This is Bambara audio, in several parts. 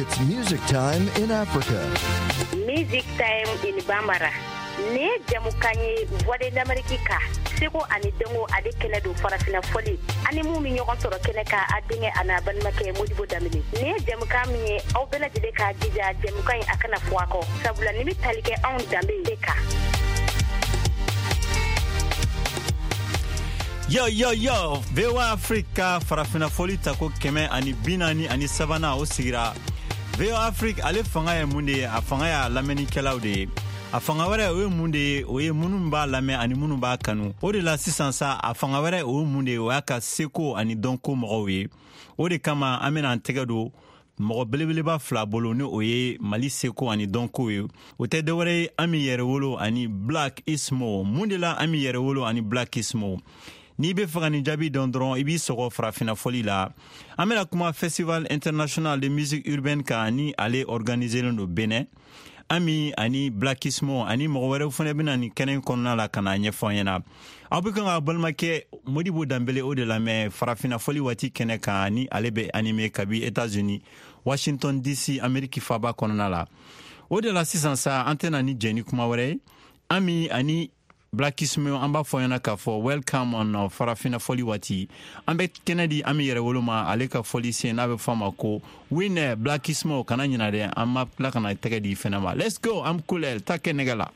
It's music time in Africa. Music time in Bambara. Nin ye jamukan ye Voix de l'Amérique ka seko ani dɔnko ale kɛnɛ don farafina fɔli ani mun bɛ ɲɔgɔn sɔrɔ kɛnɛ kan a denkɛ a n'a balimakɛ Modibo Danbele. Nin ye jamukan min ye aw bɛɛ lajɛlen k'a jija jamukan in a kana fɔ a kɔ sabula nin bɛ tali kɛ anw danbe de kan. Yo, yo, yo, VOA Afrique farafina fɔli tako 143nan o sigira. VOA Afrique ale fanga ye mun de ye? A fanga y'a lamɛnnikɛlaw de ye. A fanga wɛrɛ o ye mun de ye? O ye minnu b'a lamɛn ani minnu b'a kanu. O de la sisan sa, a fanga wɛrɛ o ye mun de ye? O y'a ka seko ani dɔnko mɔgɔw ye. O de kama an bɛna an tɛgɛ don mɔgɔ belebeleba fila bolo, ni o ye Mali seko ani dɔnko ye. O tɛ dɔwɛrɛ ye Ami Yɛrɛwolo ani Black Ismo. Mun de la Ami Yɛrɛwolo ani Black Ismo? N'i bɛ fɛ ka nin jaabi dɔn dɔrɔn, i b'i sɔgɔ farafinna fɔli la. An bɛna kuma Festival International de Musique Urbaine kan, ni ale organiselen don Benin. Ami ani Black Ismo ani mɔgɔ wɛrɛw fana bɛna nin kɛnɛ kɔnɔna la ka na ɲɛfɔ an ɲɛna. Aw bɛ kan ka balimakɛ Modibo Danbele o de lamɛn farafinna fɔli waati kɛnɛ kan, ni ale bɛ animé kabi États-Unis, Washington DC, Amérique faaba kɔnɔna la. O de la sisan sa, an tɛna ni jɛ ni kuma wɛrɛ ye. Ami ani Black Ismo, an b'a fɔ ɲɛna k'a fɔ welcome on farafina fɔli waati. An bɛ kɛnɛ di Ami Yɛrɛwolo ma, ale ka fɔli sen n'a bɛ fɔ a ma ko Winner. Black Ismo, kana ɲina dɛ, an ma tila ka na tɛgɛ di fɛnɛ ma. Let's go, am kulel ta kɛ nɛgɛ la.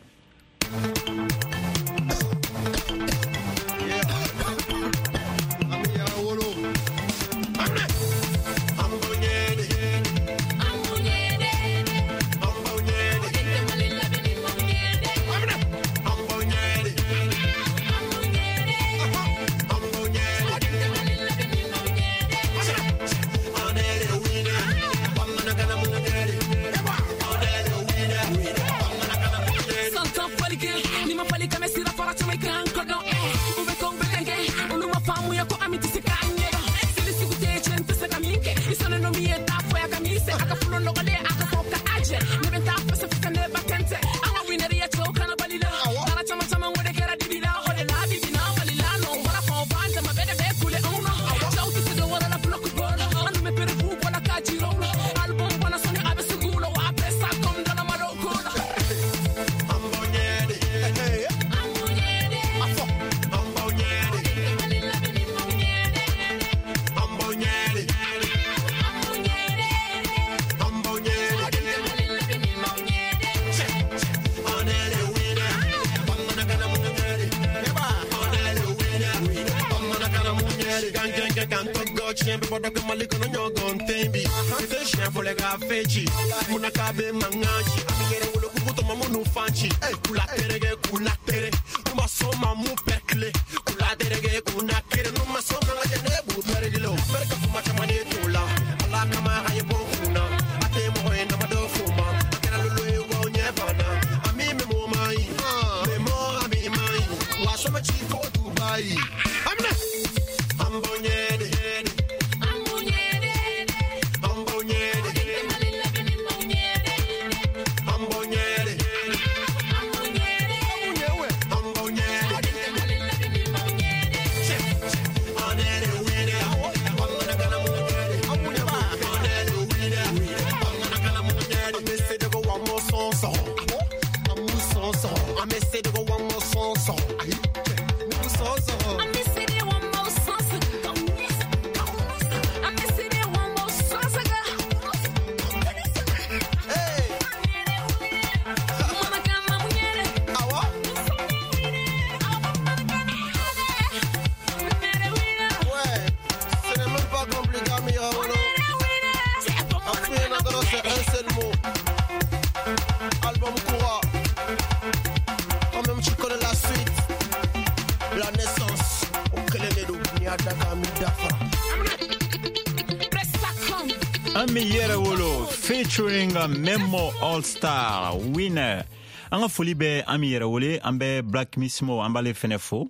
Ami Yɛrɛwolo featuring Memo All Star Winner. An ka foli bɛ Ami Yɛrɛwolo, an bɛ Black Mismo, an b'ale fɛnɛ fo.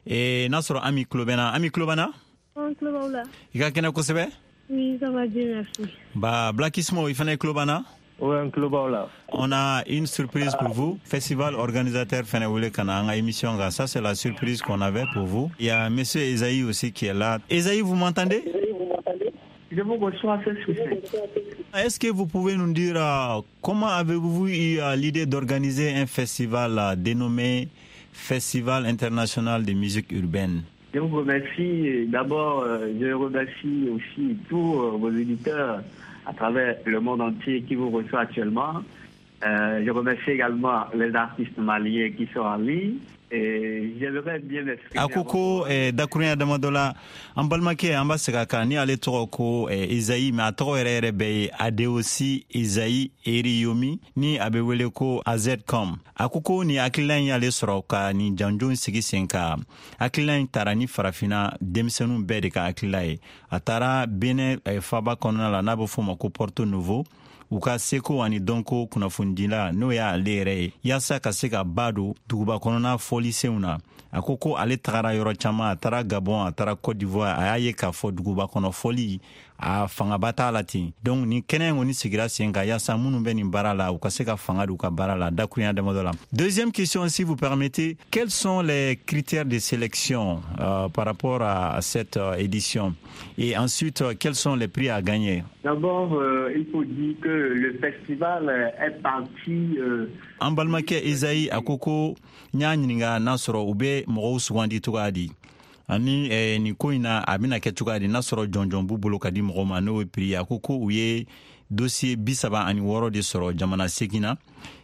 N'a sɔrɔ Ami tulo bɛ n na. Ami tulo b'an na? An tulo b'aw la. I ka kɛnɛ kosɛbɛ? Oui, ça va bien, merci. Ba Black Ismo, i fɛnɛ tulo b'an na? Ouais, an tulo b'aw la. On a une surprise pour vous. Festival organisateur fɛnɛ wele ka na an ka émission kan. Ça, c'est la surprise qu'on avait pour vous. Il y a monsieur Esaïe aussi qui est là. Esaïe, vous m'entendez? Je vous reçois ce succès. Est-ce que vous pouvez nous dire comment avez-vous eu l'idée d'organiser un festival dénommé Festival international de musique urbaine? Je vous remercie. D'abord, je remercie aussi tous vos auditeurs à travers le monde entier qui vous reçoit actuellement. Je remercie également les artistes maliens qui sont en ligne. Et j'aimerais bien m'exprimer. A ko ko dakurunya damadɔ la, an balimakɛ, an b'a segin a kan, ni ale tɔgɔ ko Izayi, mais a tɔgɔ yɛrɛ yɛrɛ bɛɛ ye Adeosi Izayi Eriyomi, ni a bɛ wele ko AZcom. A ko ko nin hakilina in y'ale sɔrɔ ka nin janjo sigi sen kan. Hakilina in taara ni Farafinna denmisɛnninw bɛɛ de ka hakilila ye. A taara Benin faba kɔnɔna la, n'a bɛ f'o ma ko Porto Novo, u ka seko ani dɔnko kunnafonidila, n'o y'ale yɛrɛ ye, yaasa ka se ka ba don duguba kɔnɔna fɔlisenw na. A ko ko ale tagara yɔrɔ caman, a taara Gabon, a taara Côte d'Ivoire, a y'a ye k'a fɔ duguba kɔnɔ fɔli, a fangaba t'a la ten. Donc nin kɛnɛ in kɔni sigira sen kan yaasa minnu bɛ nin baara la, u ka se ka fanga don u ka baara la dakurunya damadɔ la. Deuxième question, si vous permettez: quels sont les critères de sélection par rapport à cette édition et ensuite quels sont les prix à gagner? D'abord, il faut dire que le festival est parti An balimakɛ Ezayi, a ko ko n y'a ɲininka n'a sɔrɔ u bɛ mɔgɔw sugandi cogoya di, ani nin ko in na, a bɛna kɛ cogoya di, n'a sɔrɔ jɔnjɔn b'u bolo ka di mɔgɔw ma, n'o ye prix. A ko ko u ye dossier 36 de sɔrɔ jamana 8 na.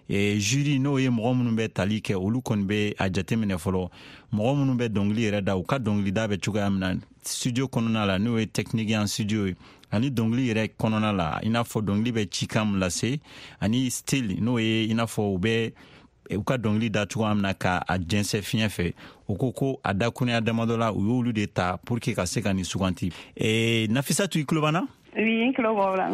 Jury, n'o ye mɔgɔ minnu bɛ tali kɛ, olu kɔni bɛ a jateminɛ fɔlɔ mɔgɔ minnu bɛ dɔnkili yɛrɛ da, u ka dɔnkilida bɛ cogoya min na studio kɔnɔna la, n'o ye technique en studio ye, ani dɔnkili yɛrɛ kɔnɔna la, i n'a fɔ dɔnkili bɛ cikan min lase, ani style, n'o ye i n'a fɔ u bɛ u ka dɔnkili da cogoya min na ka a jɛnsɛ fiɲɛ fɛ. O ko ko a dakurunya damadɔ la, u y'olu de ta pour que ka se ka nin suganti. Nafisatu, i tulo b'an na? Oui, n tulo b'aw la.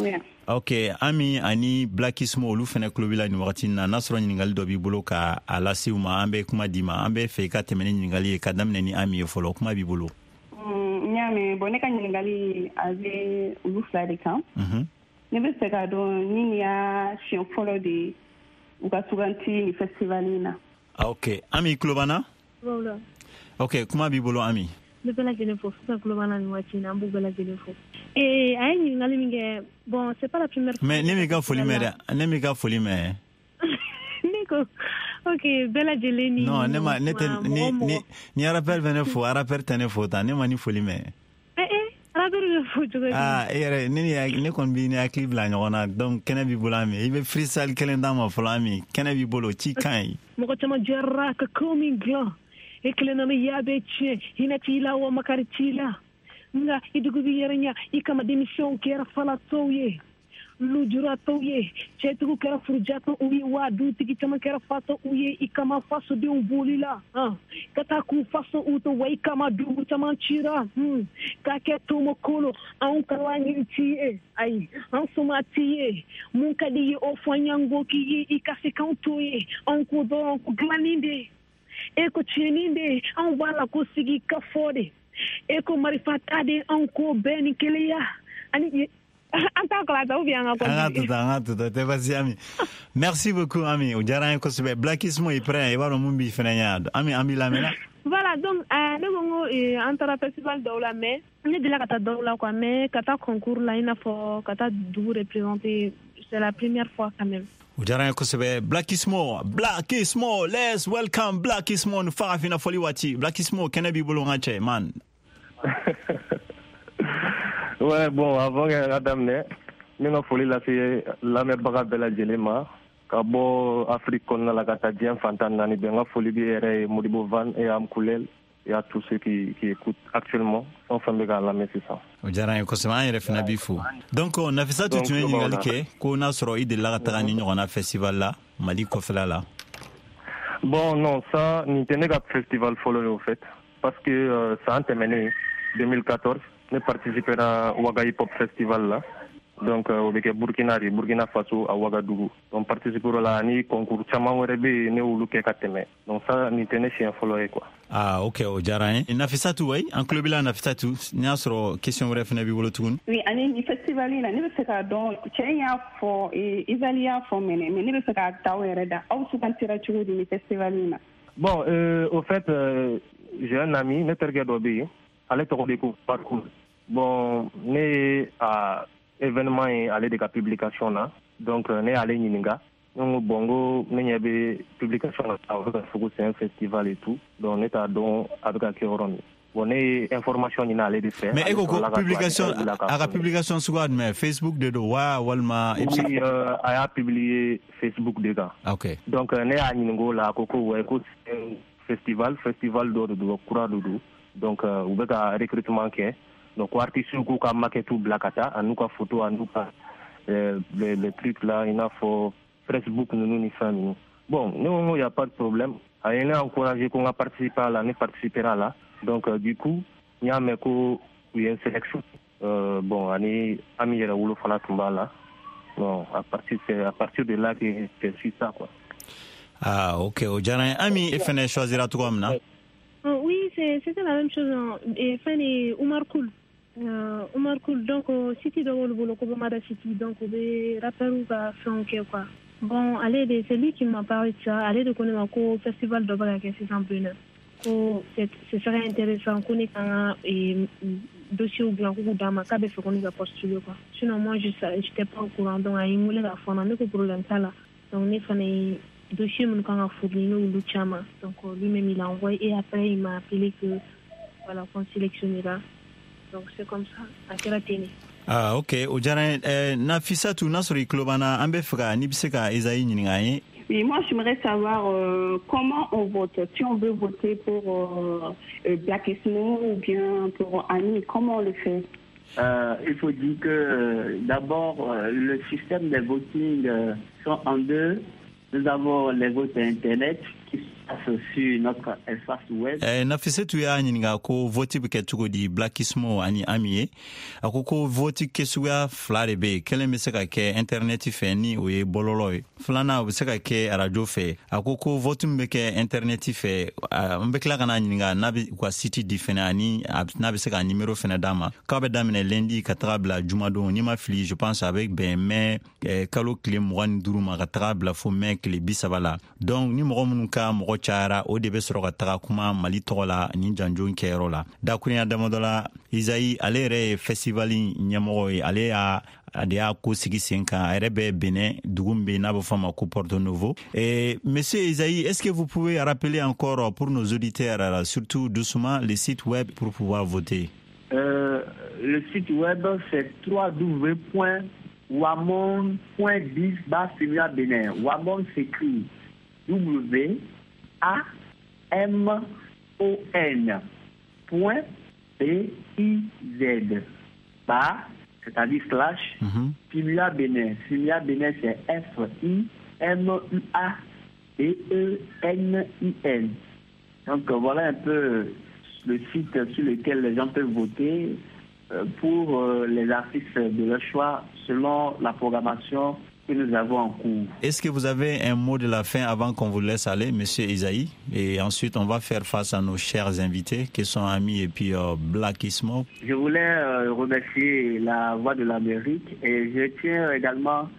Ok, Ami ani Blackismo, olu fɛnɛ tulo b'i la nin wagati na. N'a sɔrɔ ɲininkali dɔ b'i bolo ka a lase u ma, an bɛ kuma d'i ma. An bɛ fɛ i ka tɛmɛ ni ɲininkali ye, ka daminɛ ni Ami ye fɔlɔ. Kuma b'i bolo. N y'a mɛn. Bon, ne ka ɲininkali, a bɛ olu fila de kan. Ne bɛ fɛ k'a dɔn ni nin y'a siɲɛ fɔlɔ de ye u ka suganti nin festival in na. Ok, Ami, i tulo b'an na? Ok, kuma b'i bolo, Ami. N bɛ bɛɛ lajɛlen fo sisan, tulo b'an na nin waati in na, an b'u bɛɛ lajɛlen fo. A ye ɲininkali min kɛ, bon, c'est pas la première fois. Mais ne m'i ka foli mɛn dɛ, ne m'i ka foli mɛn. Ne ko ok, bɛɛ lajɛlen ni. Non, ne ma, ne tɛ ni ni ni rappeur bɛ ne fo, rappeur tɛ ne fo tan, ne ma ni foli mɛn. Rappeur bɛ fo cogo di? Ah, e yɛrɛ, ne ni ne kɔni b'i ni hakili bila ɲɔgɔn na. Donc kɛnɛ b'i bolo, Ami, i bɛ freestyle kelen d'an ma fɔlɔ. Ami, kɛnɛ b'i bolo, ci kan ye. Mɔgɔ caman jɛra ka ko min dilan, e kelen na ya bɛ tiɲɛ, hinɛ t'i la wa makari t'i la, nka i dugu b'i yɛrɛ ɲɛ i kama. Denmisɛnw kɛra falatɔw ye, lujuratɔw ye, cɛtigiw kɛra furujatɔw ye, wa dutigi caman kɛra fatɔw ye i kama. Fasodenw bolila ka taa k'u faso u to wa i kama. Dugu caman cira ka kɛ tomokolo. Anw ka laɲini t'i ye, ayi, an soma t'i ye. Mun ka di ye, o fɔ an y'an ko k'i ye, i ka se k'anw to ye. Anw ko dɔrɔn ko dilanni de, e ko tiɲɛni de. Anw b'a la ko sigi ka fɔ de, e ko marifa ta de. Anw ko bɛɛ ni kelenya ani an t'a kala ou bien an ka An ka to tan, an ka to tan, tɛ basi. Ami, merci beaucoup, Ami, o diyara an ye kosɛbɛ. Blackismo i prêt? I b'a dɔn mun b'i fɛnɛ ɲɛ. Ami, an b'i lamɛnna. Voilà, donc ne ko n ko an taara festival dɔw la, mais ne delila ka taa dɔw la quoi, mais ka taa concours la, i n'a fɔ ka taa dugu représenter, c'est la première fois quand même. O diyara an ye kosɛbɛ. Blackismo, Blackismo, let's welcome Blackismo ni Farafinna fɔli waati. Blackismo, kɛnɛ b'i bolo, n ka cɛ man. Ouais, bon, avant ka daminɛ, n bɛ ka foli lase lamɛnbaga bɛɛ lajɛlen ma, ka bɔ Afrique kɔnɔna la ka taa diɲɛ fan 14 bɛɛ. N ka foli bɛ yɛrɛ ye Modibo Van et Amkulel et à tous ceux qui écoutent actuellement, fɛn o fɛn bɛ k'a lamɛn sisan. O diyara an ye kosɛbɛ, an yɛrɛ fana b'i fo. Donc Nafisatu tun ye ɲininkali kɛ ko n'a sɔrɔ i delila ka taga ni ɲɔgɔnna festival la Mali kɔfɛla la. Bon, non, ça, nin tɛ ne ka festival fɔlɔ ye au fait, parce que san tɛmɛnen 2014, ne participera Ouaga Hip Hop Festival la. Donc o bɛ kɛ Burkina de, Burkina Faso, à Ouagadougou. Donc participera la, ani concours caman wɛrɛ bɛ yen, ne y'olu kɛ ka tɛmɛ. Donc ça, nin tɛ ne siɲɛ fɔlɔ ye quoi. Ah ok, o diyara an ye. Nafisatu, wayi, an tulo b'i la. Nafisatu, n'i y'a sɔrɔ question wɛrɛ fana b'i bolo tuguni. Oui, ani ni festival in na, ne bɛ fɛ k'a dɔn, cɛ in y'a fɔ, Isali y'a fɔ mɛnɛ, mais ne bɛ fɛ k'a ta aw yɛrɛ da, aw sugantira cogo di ni festival in na? Bon, au fait, j'ai un ami, ne terikɛ dɔ bɛ yen, ale tɔgɔ de ko Barkou. Bon, ne ye a événement ye ale de ka publication na. Donc ne y'ale ɲininka, ne ko bon, n ko ne ɲɛ bɛ publication na, a bɛ ka fɔ ko c'est un festival et tout, donc ne t'a dɔn a bɛ ka kɛ yɔrɔ min. Bon, ne ye information ɲini ale de fɛ. Mais e ko ko publication, a ka publication suguya jumɛn? Facebook de don wa, walima? Oui, a y'a publier Facebook de kan. Ok. Donc ne y'a ɲininka o la, a ko ko ouais, ko festival, festival dɔ de don, kura de don. Donc u bɛ ka recrutement kɛ, donc ko artistes k'u ka maquette bila ka taa, an'u ka photo, an'u ka les trucs là, i n'a fɔ Facebook ninnu ni fɛn ninnu. Bon, ne ko n ko y a pas de problème. A ye ne encouragé ko n ka participer a la, ne participera a la. Donc du coup, n y'a mɛn ko u ye n sélection. Bon, ani Ami Yɛrɛwolo fana tun b'a la. Bon, à partir c'est à partir de là que j'ai su ça, quoi. Ah ok, o diyara n ye. Ami, e fɛnɛ choisira cogoya min na? Oui, c'était la même chose, hein. Et fɛn de Umar Koul. Umar Koul, donc site dɔ b'olu bolo ko Bamada City, donc u bɛ rappeur ka fɛnw kɛ, quoi. Bon, ale de, c'est lui qui m'a parlé de ça. Ale de ko ne ma ko festival dɔ bɛ ka kɛ sisan Benin. Ko ce serait intéressant ko ne ka n ka dossier dilan k'u d'a ma, k'a bɛ fɛ ko ne ka postuler, quoi. Sinon moi, je j'étais pas au courant, donc a ye n wele k'a fɔ n na, ne ko problème t'a la. Donc ne fana ye dossier minnu kan ka fournir, ne y'olu caman. Donc lui-même il a envoyé et après il m'a appelé que voilà, qu'on sélectionnera. Donc c'est comme ça, a kɛra ten de. Ah ok, o diyara n ye. Nafisatu, n'a sɔrɔ i tulo b'an na, an bɛ fɛ ka n'i bɛ se ka Ezayi ɲininka an ye. Oui, moi, j'aimerais savoir comment on vote. Si on veut voter pour Black Ismo ou bien pour Ami, comment on le fait? Il faut dire que d'abord, le système des voting sont en deux. Nous avons les votes Internet qui se passent sur notre espace web. Nafisetu y'a ɲininka ko vote bɛ kɛ cogo di Black Ismo ani Ami ye. A ko ko vote kɛsuguya fila de bɛ yen. Kelen bɛ se ka kɛ internet fɛ, ni o ye bɔlɔlɔ ye. Filanan, o bɛ se ka kɛ arajo fɛ. A ko ko vote min bɛ kɛ internet fɛ, n bɛ tila ka n'a ɲininka n'a bɛ u ka site di fɛnɛ, ani n'a bɛ se ka numéro fɛnɛ d'a ma. K'a bɛ daminɛ lundi ka taga bila jumadon, n'i ma fili, je pense a bɛ bɛn mai kalo tile 25 ma ka taga bila fo mai tile 30 la. Donc ni mɔgɔ minnu ka mɔgɔ cayara, o de bɛ sɔrɔ ka taga kuma Mali tɔgɔ la nin janjo kɛyɔrɔ la. Dakurunya damadɔ la, Isayi, ale yɛrɛ ye festival ɲɛmɔgɔ ye, ale y'a a de y'a ko sigi sen kan. A yɛrɛ bɛ Benin, dugu min bɛ n'a bɛ fɔ a ma ko Porto Novo. Et monsieur Isaïe, est-ce que vous pouvez rappeler encore pour nos auditeurs, surtout doucement, le site web pour pouvoir voter? Le site web, c'est www.wamon.biz Bénin. Wamon s'écrit W A M O N point B I Z barre, c'est-à-dire slash, Fimua Bénin. Fimua Bénin, c'est F I M U A B E N I N. Donc voilà un peu le site sur lequel les gens peuvent voter pour les artistes de leur choix selon la programmation que nous avons en cours. Est-ce que vous avez un mot de la fin avant qu'on vous laisse aller, Monsieur Isaïe? Et ensuite, on va faire face à nos chers invités qui sont Ami et puis Black Ismo. Je voulais remercier la Voix de l'Amérique et je tiens également.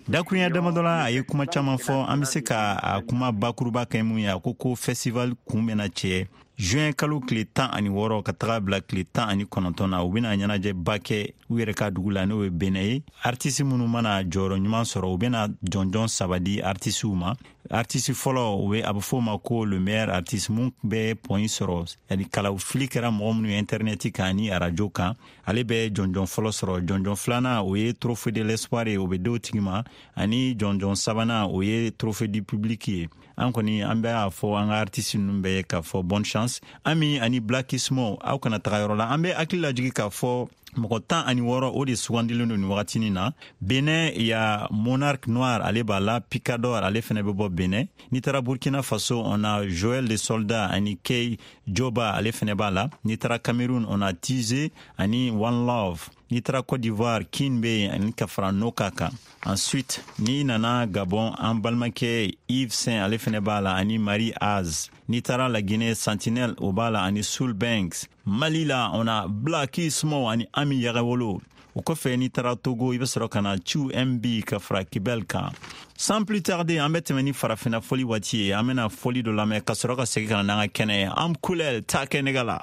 Dakurunya damadɔ la, a ye kuma caman fɔ, an bɛ se ka a kuma bakuruba kɛ mun ye, a ko ko festival kun bɛna cɛ juin kalo tile 16 ka taga bila tile 19 na. U bɛna ɲɛnajɛba kɛ u yɛrɛ ka dugu la, n'o ye Benɛ ye. Artiste minnu mana jɔyɔrɔ ɲuman sɔrɔ, u bɛna jɔnjɔn saba di artisiw ma. Artiste fɔlɔ, o ye a bɛ fɔ o ma ko le meilleur artiste, mun bɛ point sɔrɔ, yani kalaw fili kɛra mɔgɔ minnu ye internet kan ni arajo kan, ale bɛ jɔnjɔn fɔlɔ sɔrɔ. Jɔnjɔn filanan, o ye trophée de l'espoir ye, o bɛ di o tigi ma, ani jɔnjɔn sabanan, o ye trophée du public ye. An kɔni, an bɛ a fɔ an ka artiste ninnu bɛɛ ye k'a fɔ bonne chance. Ami ani Black Ismo, aw kana taga yɔrɔ la. An bɛ hakili lajigi k'a fɔ mɔgɔ 16, o de sugandilen don nin wagatinin na. Benin ya, Monarque Noir, ale b'a la, Picador, ale fɛnɛ bɛ bɔ Benin. N'i taara Burkina Faso, on a Joël le Soldat ani Key Joba, ale fɛnɛ b'a la. N'i taara Cameroun, on a Tize ani One Love. N'i taara Côte d'Ivoire, Kin bɛ yen ani ka fara Noka kan. Ensuite, n'i nana Gabon, an balimakɛ Yves Saint, ale fɛnɛ b'a la, ani Marie Az. N'i taara La Guinée, Sentinelle, o b'a la, ani Soul Banks. Mali la, on a Black Ismo ani Ami Yɛrɛwolo. O kɔfɛ, n'i taara Togo, i bɛ sɔrɔ ka na Chu MB ka fara Kibel kan. Sans plus tarder, an bɛ tɛmɛ ni farafinna fɔli waati ye. An bɛna fɔli dɔ lamɛn ka sɔrɔ ka segin ka na n'an ka kɛnɛ ye. An kulɛl ta kɛ nɛgɛ la.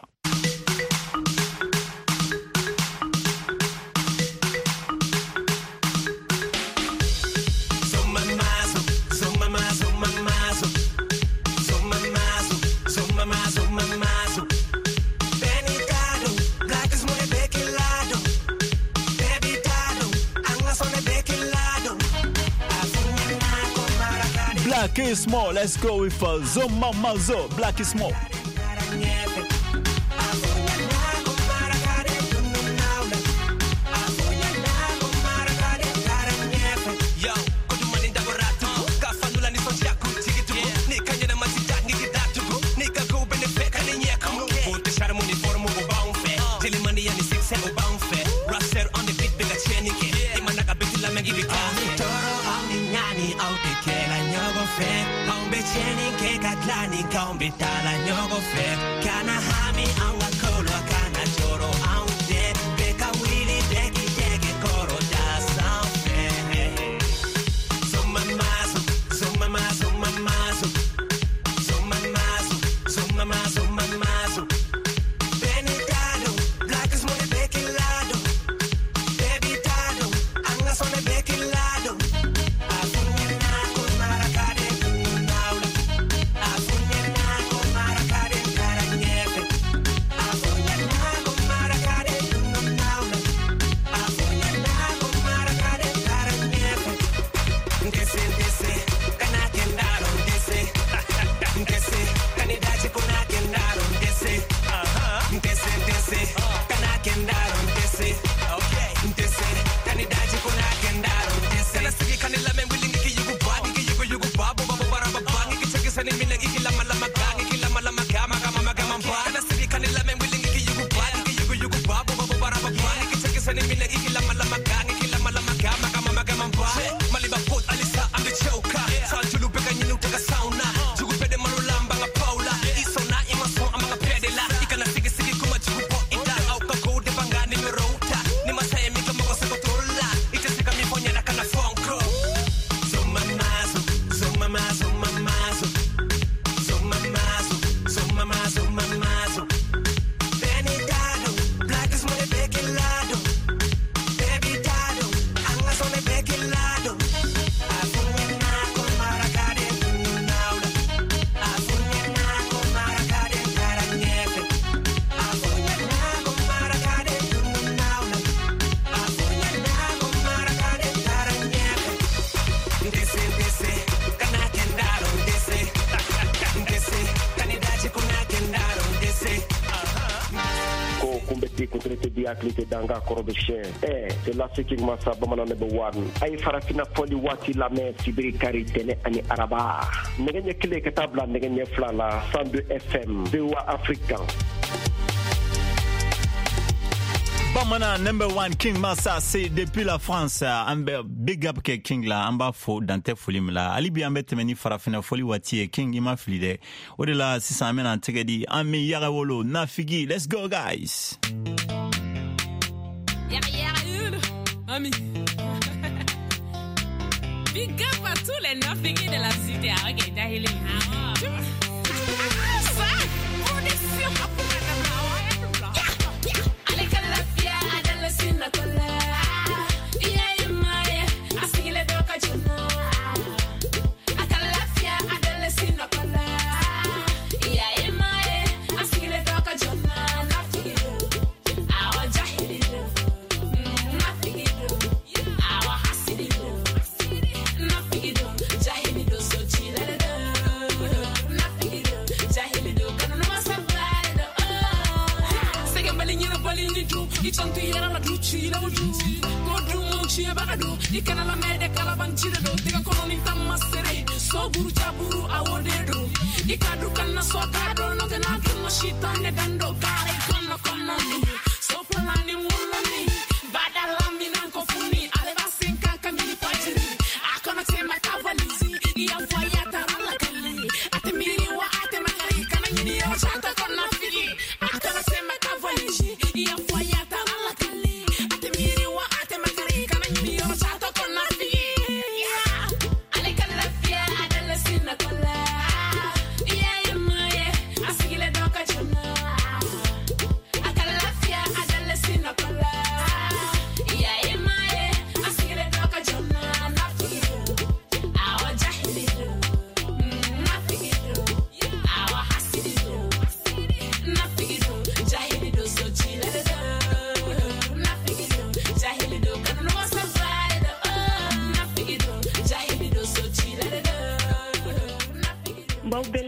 Black is Small. Let's go with Zoma Mazo. Black is Small. Danga kɔrɔ bɛ siɲɛ c'est la King Masa bamanan number 1 a ye farafinna fɔli waati lamɛn sibiri kari tɛnɛ ani araba nɛgɛ ɲɛ 1 ka taa bila nɛgɛ ɲɛ 2 la 102 FM VOA Afrique kan. Bamanan number 1 King Masa, c'est depuis la France. An bɛ big up kɛ King la, an b'a fo dan tɛ foli min la. Hali bi an bɛ tɛmɛ ni farafinna fɔli waati ye. King, i ma fili dɛ. O de la sisan an bɛna an tɛgɛ di an bɛ yaga wolo Nafigi. Let's go guys. Ami. Big up à tous les Nafigi de la cité. Ok, dahili. Ça, production. I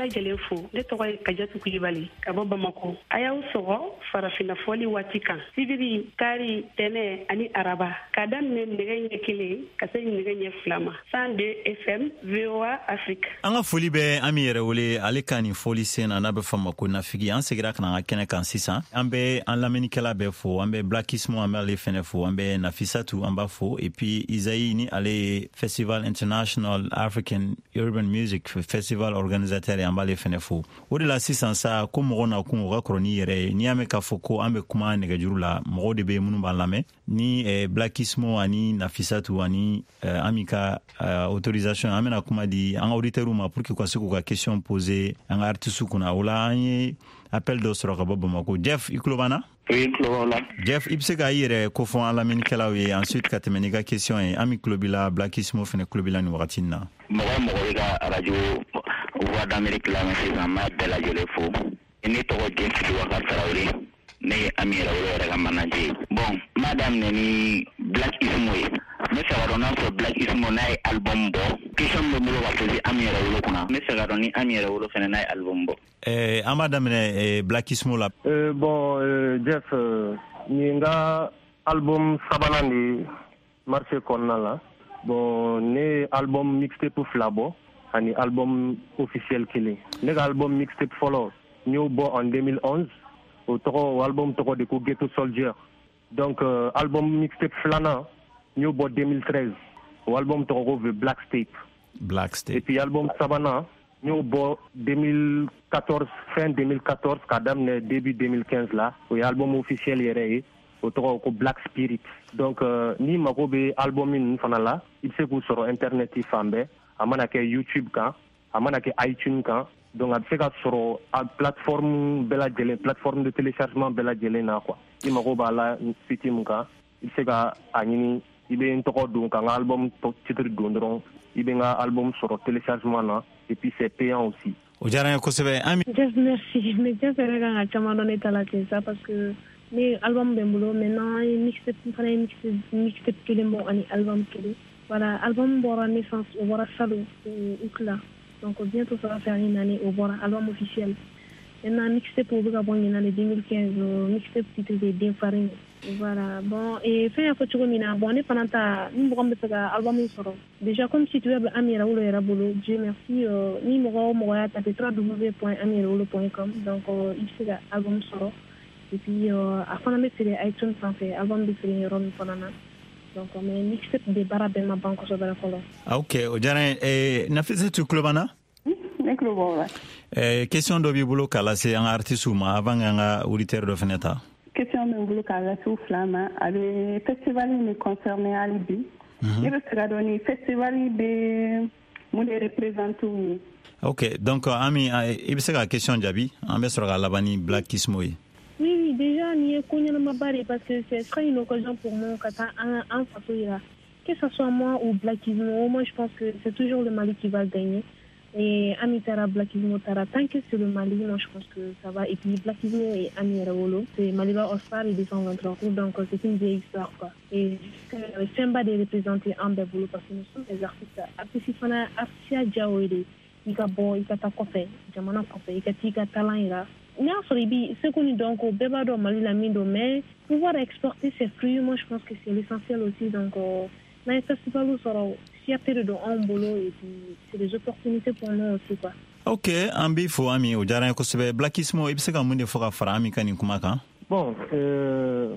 lajɛlen fo. Ne tɔgɔ ye Kajatu Kulibali ka bɔ Bamakɔ. A y'aw sɔgɔ farafinna fɔli waati kan, sibiri, kari, tɛnɛ ani araba, k'a daminɛ nɛgɛ ɲɛ 1 ka se nɛgɛ ɲɛ 2 ma, 102 FM, VOA Afrique. An ka foli bɛ Ami Yɛrɛwele, ale ka nin fɔli sen na, n'a bɛ fɔ ma ko Nafigi. An segira ka na an ka kɛnɛ kan sisan. An bɛ an lamɛnnikɛla bɛɛ fo. An bɛ Blackismo, an b'ale fɛnɛ fo. An bɛ Nafisatu, an b'a fo. Et puis Isaïe, ni ale ye Festival International African Urban Music Festival organisateur ye, an b'ale fɛnɛ fo. O de la sisan sa, ko mɔgɔ nakun o ka kɔrɔ n'i yɛrɛ ye. N'i y'a mɛn k'a fɔ ko an bɛ kuma nɛgɛjuru la, mɔgɔw de bɛ minnu b'an lamɛn ni Blackismo ani Nafisatu ani Ami ka autorisation, an bɛna kuma di an ka auditeurs ma pour que u ka se k'u ka question poser an ka artistes kunna. O la, an ye appel dɔ sɔrɔ ka bɔ Bamako. Jeff, i tulo b'an na? Oui, tulo b'aw la. Jeff, i bɛ se k'a yɛrɛ kofɔ an lamɛnnikɛlaw ye, ensuite ka tɛmɛ n'i ka question ye. Ami tulo b'i la, Blackismo fɛnɛ tulo b'i la nin wagati in na. Mɔgɔ o mɔgɔ bɛ ka radio Voix d'Amérique lamɛn sisan, n b'a bɛɛ lajɛlen fo. Ne tɔgɔ James Wakar Tarawele, ne ye Ami Yɛrɛwolo yɛrɛ ka manager ye. Bon, n b'a daminɛ ni Black Ismo ye. N bɛ fɛ ka dɔn n'a sɔrɔ Black Ismo n'a ye album bɔ. Question min bɛ n bolo ka poser Ami Yɛrɛwolo kunna, n bɛ fɛ ka dɔn ni Ami Yɛrɛwolo fɛnɛ n'a ye album bɔ. An b'a daminɛ Black Ismo la. Bon, Jeff, nin ye n ka album sabanan de ye marché kɔnɔna la. Bon, ne ye album mixtape fila bɔ ani album officiel kelen. Ne ka album mixtape fɔlɔ, n y'o bɔ en 2011. O tɔgɔ, o album tɔgɔ de ko Ghetto Soldier. Donc album mixtape filanan, n y'o bɔ 2013. O album tɔgɔ ko The Black Tape. Black Tape. Et puis album sabanan, n y'o bɔ 2014, fin 2014 k'a daminɛ début 2015 la. O ye album officiel yɛrɛ ye, o tɔgɔ ko Black Spirit. Donc n'i mago bɛ album ninnu fana la, i bɛ se k'u sɔrɔ internet fan bɛɛ. A mana kɛ YouTube kan, a mana kɛ iTunes kan, donc a bɛ se ka sɔrɔ a plateforme bɛɛ lajɛlen, plateforme de téléchargement bɛɛ lajɛlen na quoi. I mago b'a la site mun kan, i bɛ se ka a ɲini. I bɛ n tɔgɔ don, ka n ka album titre don dɔrɔn, i bɛ n ka album sɔrɔ téléchargement na, et puis c'est payant aussi. O diyara n ye kosɛbɛ, Ami. Jeff, merci. Mais Jeff yɛrɛ kan ka caman dɔn ne ta la ten sa, parce que ne album bɛ n bolo maintenant. An ye mixtape, n fana ye mixtape kelen bɔ ani album kelen. Voilà, album bɔra naissance, o bɔra salon août la. Donc bientôt ça va faire une année o bɔra, album officiel. Maintenant mixtape, o bɛ ka bɔ ɲinan de 2015. Mixtape titre de Den Farine. Voilà, bon, et fɛn y'a fɔ cogo min na, bon, ne fana ta, ni mɔgɔ min bɛ fɛ ka album sɔrɔ déjà, comme site web Ami Yɛrɛwolo yɛrɛ bolo, Dieu merci, ni mɔgɔ o mɔgɔ y'a tapé www.amiyɛrɛwolo.com, donc i bɛ se ka album sɔrɔ. Et puis a fana bɛ feere iTunes sanfɛ, album bɛ feere yɔrɔ min fana na. Donc mais mixtape de baara bɛɛ ma ban kosɛbɛ fɔlɔ. Ok, o diyara n ye. Nafisatu, tulo b'an na? Ne tulo b'aw la. Question dɔ b'i bolo k'a lase an ka artistes ma avant k'an ka auditeur dɔ fɛnɛ ta? Question bɛ n bolo k'a lase u fila ma, a bɛ festival in de concerné hali bi. Ne bɛ fɛ ka dɔn ni festival bɛ mun de représente u ye. Ok, donc Ami, i bɛ se ka question jaabi, an bɛ sɔrɔ ka laban ni Black Ismo ye. Oui, déjà, nin ye ko ɲɛnamaba de, parce que ce sera une occasion pour moi ka taa an faso yira. Que ce soit moi ou Black Ismo, moi je pense que c'est toujours le Mali qui va gagner. Et Ami taara, Black Ismo taara, tant que c'est le Mali, moi je pense que ça va. Et puis Black Ismo et Ami Yɛrɛwolo, c'est Maliba All-Star et 223, donc c'est une vieille histoire quoi. Et fɛnba de représenter an bɛɛ bolo, parce que nous sommes des artistes. Artiste fana, artiste ya diya o ye de. I ka bɔ, i ka taa kɔfɛ, jamana kɔfɛ, i ka t'i ka talent yira. N'a sɔrɔ i bi seko ni dɔnko, bɛɛ b'a dɔn Mali la min don, mais pouvoir exporter ses fruits, moi je pense que c'est l'essentiel aussi. Donc n'an ye festival sɔrɔ, fierté de don anw bolo, et puis c'est des opportunités pour nous aussi quoi. Ok, an b'i fo Ami, o diyara n ye kosɛbɛ. Black Ismo, i bɛ se ka mun de fɔ ka fara Ami ka nin kuma kan? Bon,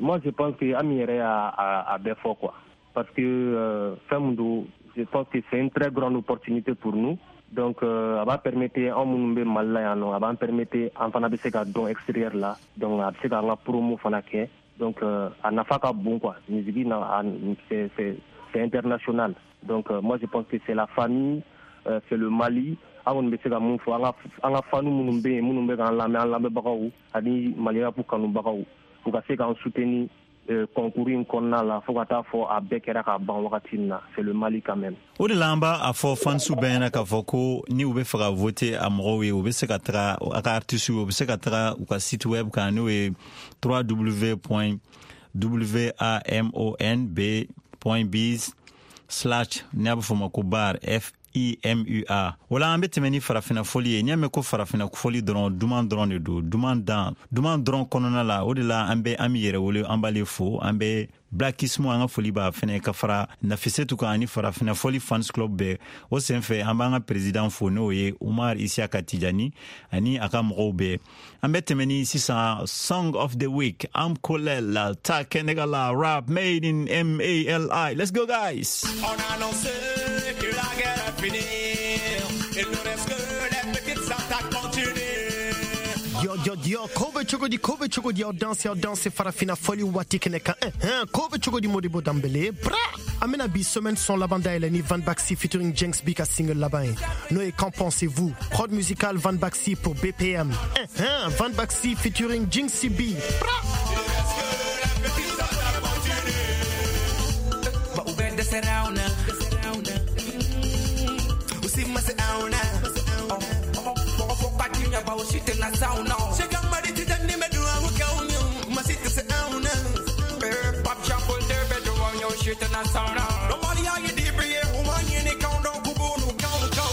moi je pense que Ami yɛrɛ y'a a bɛɛ fɔ quoi, parce que fɛn min don, je pense que c'est une très grande opportunité pour nous. Donc a b'a permettre anw minnu bɛ Mali la yan nɔ, a b'an permettre an fana bɛ se ka dɔn extérieur la. Donc a bɛ se k'an ka promo fana kɛ. Donc a nafa ka bon quoi. Musique na, c'est international. Donc moi je pense que c'est la famille, c'est le Mali. An kɔni bɛ se ka mun fɔ an ka fanu minnu bɛ yen, minnu bɛ k'an lamɛn, an lamɛnbagaw ani Mali rap kanubagaw, u ka se k'an soutenir concours in kɔnɔna la fo ka taa fɔ a bɛɛ kɛra ka ban wagati min na. C'est le Mali quand même. O de la an b'a a fɔ fansiw bɛɛ ɲɛna k'a fɔ ko ni u bɛ fɛ ka voter a mɔgɔw ye, u bɛ se ka taga a ka artistes ye, u bɛ se ka taga u ka site web kan, n'o ye www.wamonb.biz slash, n'a bɛ fɔ o ma ko bar F IMUA. O la an bɛ tɛmɛ ni farafina fɔli ye. N'i y'a mɛn ko farafina fɔli dɔrɔn, duman dɔrɔn de don, duman dan duman dɔrɔn kɔnɔna la. O de la an bɛ Ami yɛrɛ wele, an b'ale fo, an bɛ Blackismo, an ka foli b'a fɛnɛ, ka fara Nafisetu kan ani farafina fɔli fans club bɛɛ. O senfɛ, an b'an ka président fo, n'o ye Umar Isiaka Tijani ani a ka mɔgɔw bɛɛ. An bɛ tɛmɛ ni sisan song of the week, Am Kolel ta Kɛnɛgala, rap made in Mali. Let's go, guys. On a annoncé que la guerre est finie. Il ne reste que les petites attaques continuent. Yo, yo, yo, ko bɛ cogo di, ko bɛ cogo di, aw danse, aw danse farafina fɔli waati kɛnɛ kan. Ko bɛ cogo di, Modibo Danbele bra. An bɛna bi semaine son laban dayɛlɛ ni Van Baxi featuring Jenks B ka single laban ye, n'o ye Qu'en pensez-vous. Prod musicale Van Baxi pour BPM. Van Baxi featuring Jinxie B. Bra. Ba u bɛ dɛsɛra anw na, u si ma se anw na, mɔgɔ fɔ ka di ɲɛ, ba u si tɛna s'anw na. Cheikh Amadi Tijani bɛ duwawu kɛ aw ye, ma si tɛ se anw na. Pape Jean Paul II bɛ duwawu ɲɛ, u si tɛna s'anw na. Dɔnbaliya ye dibi ye, u ma ɲini k'anw dɔn, k'u b'u n'u kanw kan.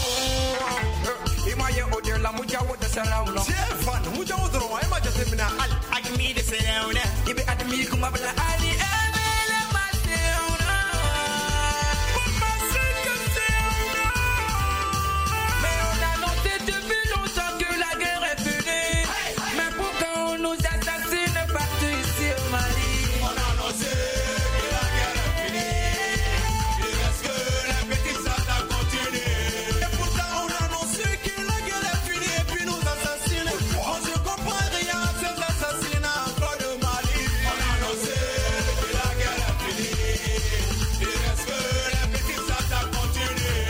I m'a ye o de la Mujawo dɛsɛra anw na. Tiɲɛ fan Mujawo dɔrɔn, e ma jateminɛ hali Agimi dɛsɛra anw na. I bɛ Adimi kuma bila hali e bɛ le ma se anw na. Ma se ka se anw na. Mais on a annoncé depuis longtemps que la guerre est finie. Mais pourquoi on nous assassine partout ici au Mali? On a annoncé que la guerre est finie. Il reste que les petites attaques continuent. Et pourtant on a annoncé que la guerre est finie et puis nous assassinent. On ne comprend rien à ces assassinats encore de Mali. On a annoncé que la guerre est finie. Il reste que les petites attaques continuent.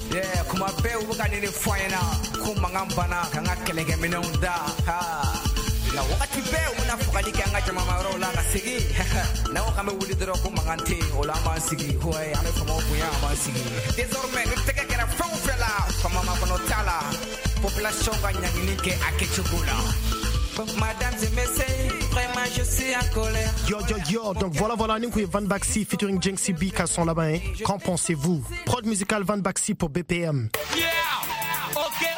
Yeah, kuma bɛɛ u bɛ ka nin de fɔ an ɲɛna ko mankan banna k'an ka kɛlɛkɛminɛnw da ha nka wagati bɛɛ u bɛna fagali kɛ an ka jamamayɔrɔw la ka segin n'an ko k'an bɛ wuli dɔrɔn ko mankan tɛ yen, o la an b'an sigi ouais, an bɛ faamaw bonya, an b'an sigi. Désormais ni tɛgɛ kɛra fɛn o fɛn la, faama makɔnɔ t'a la, population ka ɲangini kɛ a kɛcogo la. Madame et messieurs, vraiment je suis en colère. Yo, yo, yo, donc voilà, voilà, nin kun ye Van Baxi featuring Jenksy B ka son laban ye, Qu'en pensez-vous. Prod musicale Van Baxi pour BPM. Yeah, ok.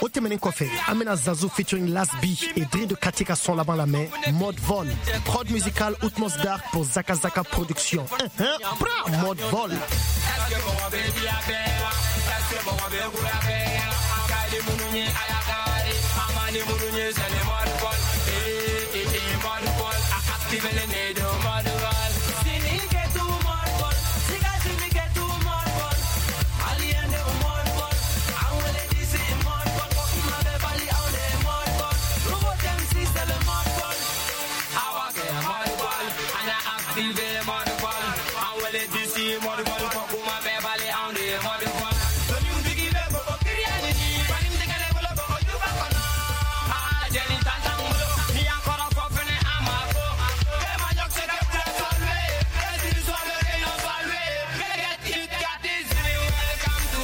O tɛmɛnen kɔfɛ, an bɛna Zazu featuring Las B et Dri de Kati ka son laban lamɛn, Mode Vol. Prod musicale Outmos Dark pour Zaka Zaka Production. Bra, Mode Vol. Est-ce que mɔgɔ bɛ di a bɛɛ wa? Est-ce que mɔgɔ bɛ kura bɛɛ wa? An ka di minnu ye, a y'a kari. An ma ni minnu ye, c'est le mode vol. Eh, eh, eh, mode vol. A active le nez de mode vol. Sini kɛ tu mode vol. Siga sini kɛ tu mode vol. Alien de mode vol. An wele disi mode vol. Ko kuma bɛ bali anw de mode vol. Nouveau MC, c'est le mode vol. Awa kɛ mode vol. An y'a activé mode vol. An wele disi mode vol. Ko kuma bɛ bali anw de mode vol. Dɔnniw tigi bɛ bɔ kiriya ɲini. Fani tigɛ ne bolo bɔ juba kɔnɔ. Ah, jɛni tan t'an bolo. N'i y'an kɔrɔ fɔ fɛnɛ, an ma ko. E ma ɲɔ se ka bila saluer. Et si soit le rayon saluer. Get it, got it, welcome to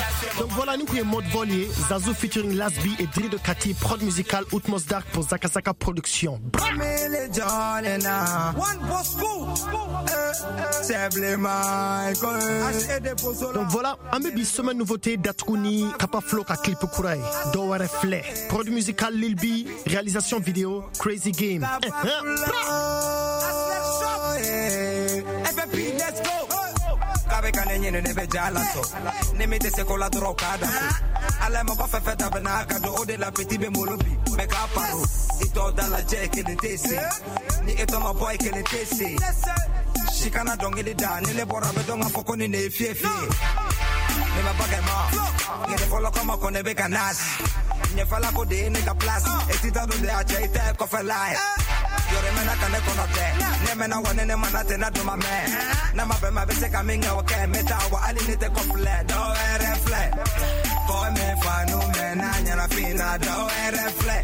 Est-ce que Donc voilà, nin kun ye Mode Vol ye, Zazu featuring Las B et Dri de Kati, prod musicale Outmos Dark pour Zaka Zaka Production. Bra. One Bosco, Donc voilà, an bɛ bi semaine nouveauté datugu ni Kapa Flo ka clip kura ye, Dɔ wɛrɛ filɛ. Prod musicale Lil B, réalisation vidéo Crazy Game. Bra. FFP, let's go. K'abe ka ne ɲini, ne bɛ ja la sɔn. Ni min tɛ se ko la dɔrɔn, k'a da so. Ala ye mɔgɔ fɛn fɛn ta bɛ n'a ka don, o de la petit bɛ n bolo bi, mɛ k'a paro. I tɔ da lajɛ, kelen tɛ se. Ni e tɔ ma bɔ, i kelen tɛ se. Si kana dɔnkili da, ni ne bɔra, bɛ dɔn k'a fɔ ko nin de ye fiyɛ fiyɛ. Ne ma bakɛ ma, ɲɛnɛ fɔlɔ kama ko ne bɛ ka nasi. Ɲɛfɛla ko de ye ne ka place. E ti taa don de a cɛ, i tɛ kɔfɛla ye. Yɔrɔ mɛnna ka ne kɔnɔ tɛ. Ne mɛnna wa ne ne mana tɛ na dun ma mɛn. N'a ma bɛn ma, bɛ se ka min kɛ, o kɛ. N bɛ taa wa hali ne tɛ kɔfilɛ. Dɔ wɛrɛ filɛ. Kɔ min fa nu mɛnna ɲɛnafin na, dɔ wɛrɛ filɛ.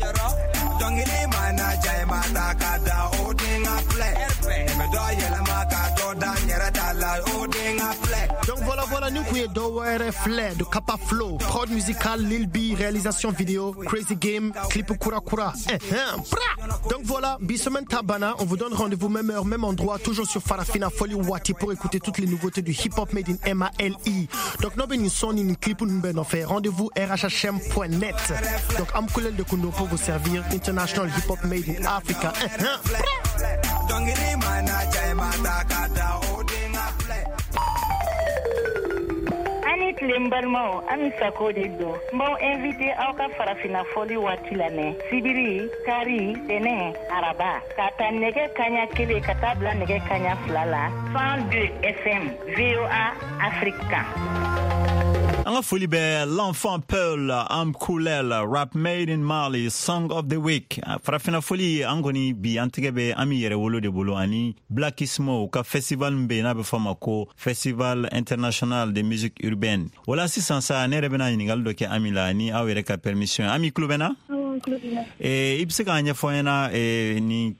Dɔnkili mana ja, i ma ta ka da, o den ka filɛ. Ne bɛ dɔ yɛlɛma ka dɔ da n yɛrɛ ta la, o den ka filɛ. Donc voilà, voilà, Voilà, nin kun ye dɔ wɛrɛ filɛ de Kapa Flow, prod musical Lil B, réalisation vidéo Crazy Game, clip Kura Kura. Eh, eh, bra. Donc voilà, bi semaine ta banna, on vous donne rendez-vous même heure, même endroit, toujours sur Farafina Foli Wati pour écouter toutes les nouveautés du hip hop made in MALI. Donc n'aw bɛ nin son ni nin clip ninnu bɛɛ nɔfɛ, rendez-vous rhhm.net. Donc Amkulel de Kundo pour vous servir, international hip hop made in Africa. Eh, eh, bra. Dɔnkili mana ja i ma taa ka da o den ka filɛ. An ni tile n balimaw, Ami Sako de don. N b'aw invité aw ka Farafina fɔli waati lamɛn sibiri, kari, tɛnɛ, araba, k'a ta nɛgɛ kaɲa 1 ka taa bila nɛgɛ kaɲa 2 la, 102 FM, VOA Afrique kan. An ka foli bɛ l'enfant Peul Amkulel, rap made in Mali, song of the week. Farafina foli, an kɔni bi an tɛgɛ bɛ Ami Yɛrɛwolo de bolo ani Blackismo ka festival min bɛ yen n'a bɛ fɔ a ma ko Festival international de musique urbaine. O la sisan sa, ne yɛrɛ bɛna ɲininkali dɔ kɛ Ami la ni aw yɛrɛ ka permission ye. Ami, tulo bɛ na? I bɛ se k'a ɲɛfɔ an ɲɛna ni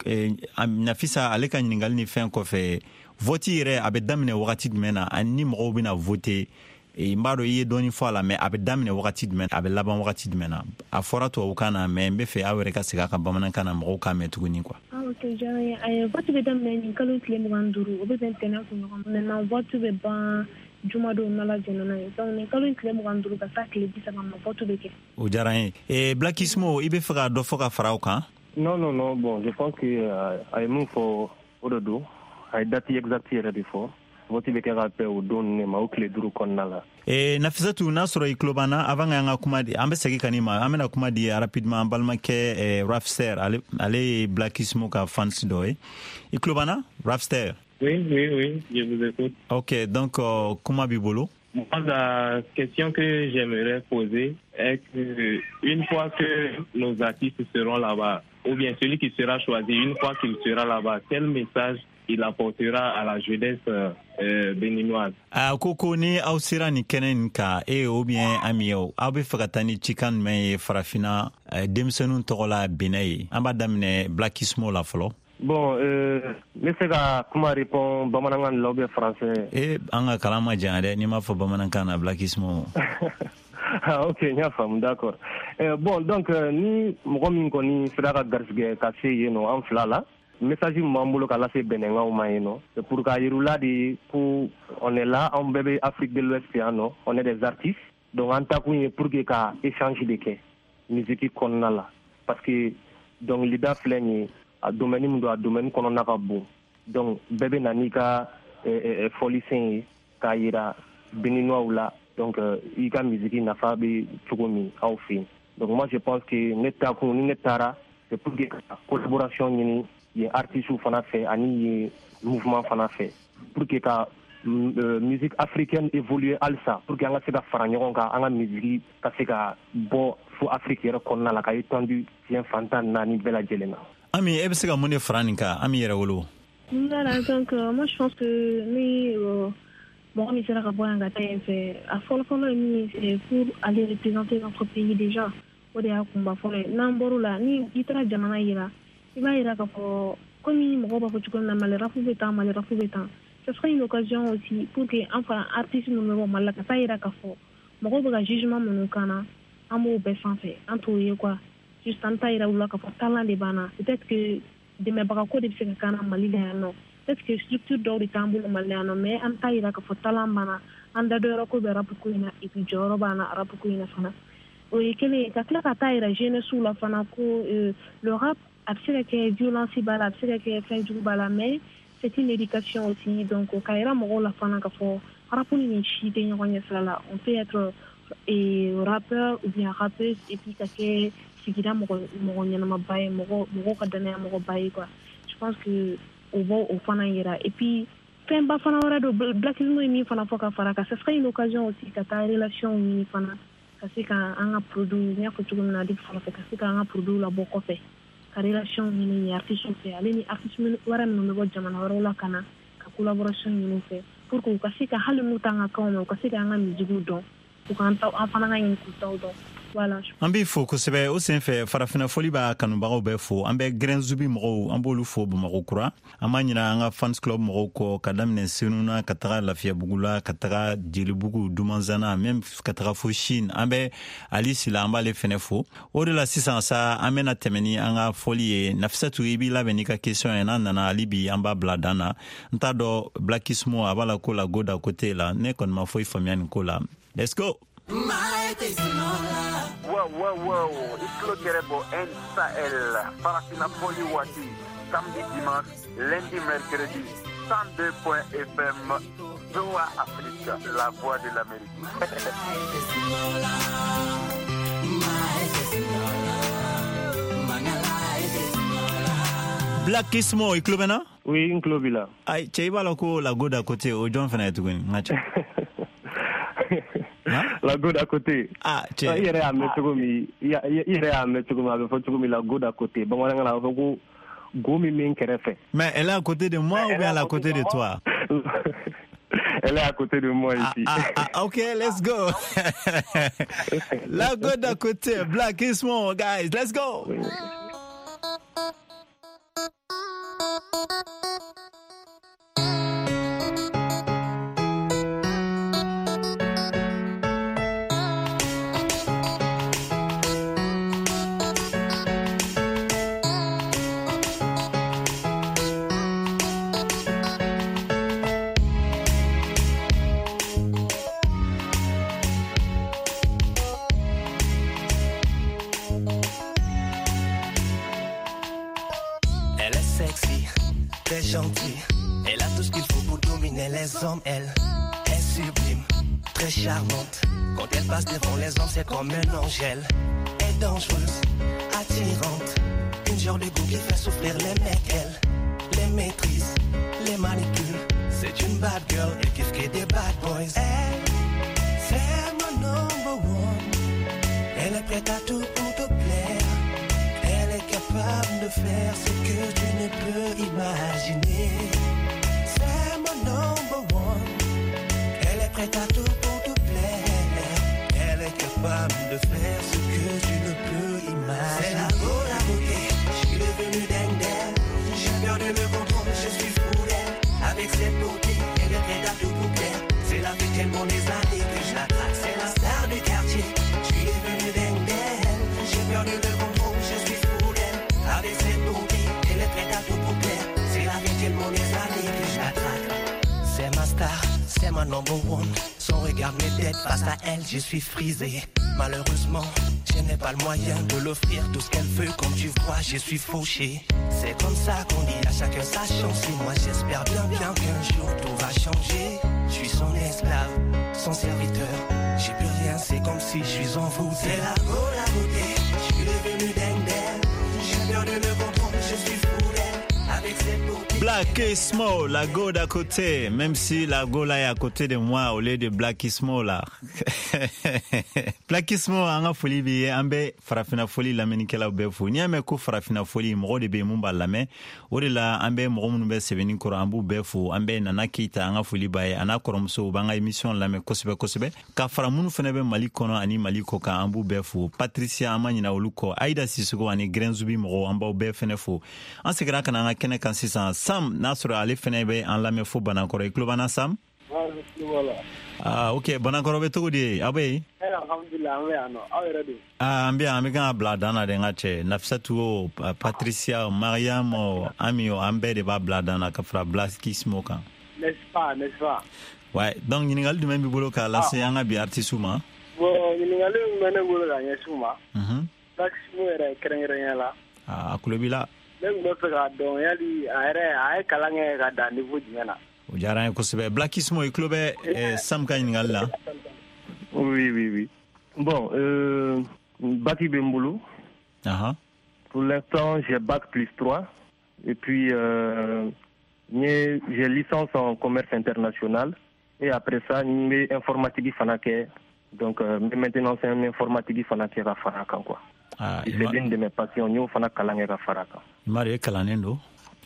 Nafisa ale ka ɲininkali ni fɛn kɔfɛ, vote yɛrɛ a bɛ daminɛ wagati jumɛn na, ani ni mɔgɔw bɛna voter? N b'a dɔn i ye dɔɔni fɔ a la, mais a bɛ daminɛ wagati jumɛn, a bɛ laban wagati jumɛn na? A fɔra tubabukan na, mais n bɛ fɛ aw yɛrɛ ka segin a kan bamanankan na, mɔgɔw k'a mɛn tuguni quoi. Ah, ok, diyara n ye. Ayi, vote bɛ daminɛ nin kalo tile 25, o bɛ bɛn tɛnɛn kunɲɔgɔn ma. Maintenant, vote bɛ ban jumadon n'Ala jɛnna n'a ye. Donc nin kalo in tile 25 ka taa tile 30 ma, vote bɛ kɛ. O diyara n ye. Blackismo, i bɛ fɛ ka dɔ fɔ ka fara o kan? Non, non, non, bon, je pense que a ye mun fɔ, o de don. A ye date exacte yɛrɛ de fɔ. Vote bɛ kɛ ka bɛn o don ninnu de ma, o tile 5 kɔnɔna la. Nafisatu, n'a sɔrɔ i tulo b'an na, avant k'an ka kuma di, an bɛ segin ka n'i ma, an bɛna kuma di rapidement an balimakɛ Rafster, ale ye Blackismo ka fans dɔ ye. I tulo b'an na, Rafster? Oui, oui, oui, je vous écoute. Ok, donc kuma b'i bolo. Moi, la question que j'aimerais poser est que une fois que nos artistes seront là-bas, ou bien celui qui sera choisi, une fois qu'il sera là-bas, quel message il apportera à la jeunesse béninoise? A ko ni aw sera nin kɛnɛ nin kan, e ou bien Ami ye, aw bɛ fɛ ka taa ni cikan jumɛn ye Farafinna denmisɛnninw tɔgɔ la Benin ye? An b'a daminɛ Blackismo la fɔlɔ. Bon, n bɛ se ka kuma répond bamanankan la ou bien français? E, an ka kalan ma janya dɛ, n'i m'a fɔ bamanankan na, Blackismo. Ah, ok, n y'a faamu, d'accord. Bon, donc ni mɔgɔ min kɔni sera ka garisɛgɛ ka se yen nɔ, an fila la, message min b'an bolo ka lase Bɛnɛnkaw ma yen nɔ, c'est pour k'a yir'u la de ko on est là, an bɛɛ bɛ Afrique de l'Ouest yan nɔ, on est des artistes. Donc an takun ye pour que ka échange de kɛ musique kɔnɔna la, parce que dɔnkilida filɛ nin ye, a domaine min don, a domaine kɔnɔna ka bon. Donc bɛɛ bɛ na n'i ka fɔlisen ye k'a yira Béninois la, donc i ka musique nafa bɛ cogo min aw fɛ yen. Donc moi je pense que ne takun, ni ne taara, c'est pour que ka collaboration ɲini yen artistes fana fɛ ani yen mouvement fana fɛ, pour que ka musique africaine évoluer halisa, pour que an ka se ka fara ɲɔgɔn kan, an ka musique ka se ka bɔ fo Afrique yɛrɛ kɔnɔna la, ka étendu diɲɛ fan 14 bɛɛ lajɛlen na. Ami, e bɛ se ka mun de fara nin kan, Ami Yɛrɛwolo? Voilà, donc moi je pense que ni mɔgɔ min sera ka bɔ yan ka taa yen fɛ, a fɔlɔ fɔlɔ ye min ye, c'est pour aller représenter notre pays déjà. O de y'a kunba fɔlɔ ye. N'an bɔr'o la, ni i taara jamana yira, i b'a yira k'a fɔ komi mɔgɔw b'a fɔ cogo min na, Mali rap bɛ tan, Mali rap bɛ tan. Ce sera une occasion aussi pour que an fana artiste minnu bɛ bɔ Mali la, ka taa yira k'a fɔ mɔgɔw bɛ ka jugement minnu k'an na, an b'o bɛɛ sanfɛ, an t'o ye quoi. Juste an t'a yira u la k'a fɔ talent de b'an na. Peut-être que dɛmɛbaga ko de bɛ se ka k'an na Mali la yan nɔ, peut-être que structure dɔw de t'an bolo Mali la yan nɔ, mais an t'a yira k'a fɔ talent b'an na, an da dɔyɔrɔ ko bɛ rap ko in na, et puis jɔyɔrɔ b'an na rap ko in na fana. O ye kelen ye. Ka tila ka taa yira jeunesse la fana ko le rap, a bɛ se ka kɛ violence b'a la, a bɛ se ka kɛ fɛn jugu b'a la, mais c'est une éducation aussi. Donc ka yira mɔgɔw la fana k'a fɔ rap ni nin si tɛ ɲɔgɔn ɲɛ sira la. On peut être et rappeur ou bien rappeuse et puis ka kɛ sigida mɔgɔ mɔgɔ ɲɛnamaba ye, mɔgɔ mɔgɔw ka danaya mɔgɔba ye quoi. Je pense que o b'o o fana yira. Et puis fɛnba fana wɛrɛ don, Blackismo ye min fana fɔ ka fara kan, ce serait une occasion aussi ka taa relation ɲini fana, ka se ka an ka produit, n y'a fɔ cogo min na depuis fɔlɔ fɛ, ka se ka an ka produit labɔ kɔfɛ, ka relation ɲini yen artiste fɛ, ale ni artiste wɛrɛ minnu bɛ bɔ jamana wɛrɛw la, ka na ka collaboration ɲini u fɛ, pour que u ka se ka, hali n'u t'an ka kanw mɛn, u ka se k'an ka musique dɔn, u k'an taw, an fana ka ɲini k'u taw dɔn. Voilà. An b'i fo kosɛbɛ. O senfɛ, Farafinna Fɔli b'a kanubagaw bɛɛ fo. An bɛ Grɛnzubi mɔgɔw, an b'olu fo Bamakɔ kura. An b'a ɲina an ka fans club mɔgɔw kɔ, ka daminɛ Senuna ka taga Lafiyabugu la, ka taga Jelibugu, Dumanzana, même ka taga fo Chine. An bɛ Ali Sila, an b'ale fɛnɛ fo. O de la sisan sa, an bɛna tɛmɛ ni an ka fɔli ye. Nafisatu, i b'i labɛn n'i ka question ye. N'a nana hali bi, an b'a bila dan na. N t'a dɔn, Blackismo a b'a la ko la go d'à côté la. Ne kɔni ma foyi faamuya nin ko la. Let's go. Wow, wow, wow. I tulo gɛrɛ bɔ N Sahel, Farafina Fɔli waati, samedi, dimanche, lundi, mercredi, 102 point FM, VOA Afrique, la voix de l'Amérique. Blackismo, i tulo bɛ n na? Oui, n tulo b'i la. Ay, cɛ, i b'a la ko la go d'à côté, o jɔn fana ye tuguni, n ka cɛ? La go d'à côté. Ah, cɛ. I yɛrɛ y'a mɛn cogo min, i yɛrɛ y'a mɛn cogo min, a bɛ fɔ cogo min, la go d'à côté. Bamanankan na, a bɛ fɔ ko go min bɛ n kɛrɛfɛ. Mais elle est à côté de moi ou bien elle est à côté de toi? Elle est à côté de moi ici. Ah, ah, ok, let's go. La go d'à côté, Blackismo, guys, let's go. Oui. Elle est sexy, très gentille. Elle a tout ce qu'il faut pour dominer les hommes. Elle est sublime, très charmante. Quand elle passe devant les hommes, c'est comme un ange. Elle est dangereuse, attirante. Une genre de goût qui fait souffrir les mecs. Elle les maîtrise, les manipule. C'est une bad girl, elle kiffe que des bad boys. Elle, c'est mon number one. Elle est prête à tout pour te plaire. Elle est capable de faire ce que tu ne peux imaginer. C'est mon number one. Elle est prête à tout pour te plaire. Elle est capable de faire ce que tu ne peux imaginer. C'est la go, la beauté. Je suis devenu dingue d'elle. J'ai perdu le contrôle, je suis fou d'elle. Avec cette beauté, elle est prête à tout pour plaire. C'est la fête tellement des années que je la traque. C'est la star du quartier. Je suis devenu dingue d'elle. J'ai perdu le contrôle, je suis fou d'elle. Avec cette beauté, elle est prête à tout pour plaire. C'est la fête tellement des années que je la traque. C'est ma star, c'est ma number one. Son regard m'ébête, face à elle, je suis frisé. Malheureusement, je n'ai pas le moyen de l'offrir tout ce qu'elle veut. Comme tu vois, je suis fauché. C'est comme ça qu'on dit à chacun sa chance. Et moi, j'espère bien, bien qu'un jour tout va changer. Je suis son esclave, son serviteur. J'ai plus rien, c'est comme si je suis envoûté. C'est la go, la beauté. Je suis devenu dingue d'elle. J'ai perdu le contrôle, je suis fou d'elle. Avec cette beauté. Blackismo, la go d'à côté, même si la go là est à côté de moi au lieu de Blackismo là. Blackismo, an ka foli b'i ye. An bɛ Farafina Foli lamɛnnikɛlaw bɛɛ fo. N'i y'a mɛn ko Farafina Foli, mɔgɔ de bɛ yen mun b'a lamɛn. O de la an bɛ mɔgɔ minnu bɛ sɛbɛnni kɔrɔ, an b'u bɛɛ fo. An bɛ Nana Keyita, an ka foli b'a ye, a n'a kɔrɔmuso, u b'an ka émission lamɛn kosɛbɛ kosɛbɛ. Ka fara minnu fana bɛ Mali kɔnɔ ani Mali kɔ kan, an b'u bɛɛ fo. Patricia, an ma ɲinɛ olu kɔ. Aïda Sissoko ani Grɛnzubi mɔgɔw, an b'aw bɛɛ fana fo. An seginna ka na an ka kɛnɛ kan sisan. Sam, n'a sɔrɔ ale fana bɛ an lamɛn fo Banankɔrɔ. I tulo b'an na, Sam? Ah, ok. Banankɔrɔ bɛ cogo di ye? Aw bɛ yen? Alhamdulilah, an bɛ yan nɔ. Aw yɛrɛ dun? Ah, an bɛ yan, an bɛ kan ka bila dan na dɛ, n ka cɛ. Nafisatu o, Patricia o, Mariam o, Ami o, an bɛɛ de b'a bila dan na ka fara Blackismo kan. N'est-ce pas, n'est-ce pas? Ouais, donc ɲininkali jumɛn b'i bolo k'a lase an ka bi artiste ma? Bon, ɲininkali min bɛ ne bolo ka ɲɛsin u ma. Blackismo yɛrɛ kɛrɛnkɛrɛnnenya la. Ah, a tulo b'i la. Ne tun bɛ fɛ k'a dɔn yali a yɛrɛ a ye kalan kɛ ka dan niveau jumɛn na? O diyara an ye kosɛbɛ. Blackismo, i tulo bɛ Sam ka ɲininkali la? Oui, oui, oui. Bon, bac bɛ n bolo. Pour l'instant, j'ai bac plus 3. Et puis, j'ai licence en commerce international. Et après ça, n bɛ informatique fana kɛ. Donc, maintenant, c'est un informatique fana kɛ ka fara a kan, quoi. Ah, c'est l'une de mes passions. N y'o fana kalan kɛ ka fara a kan. I m'a dɔn, e kalannen don?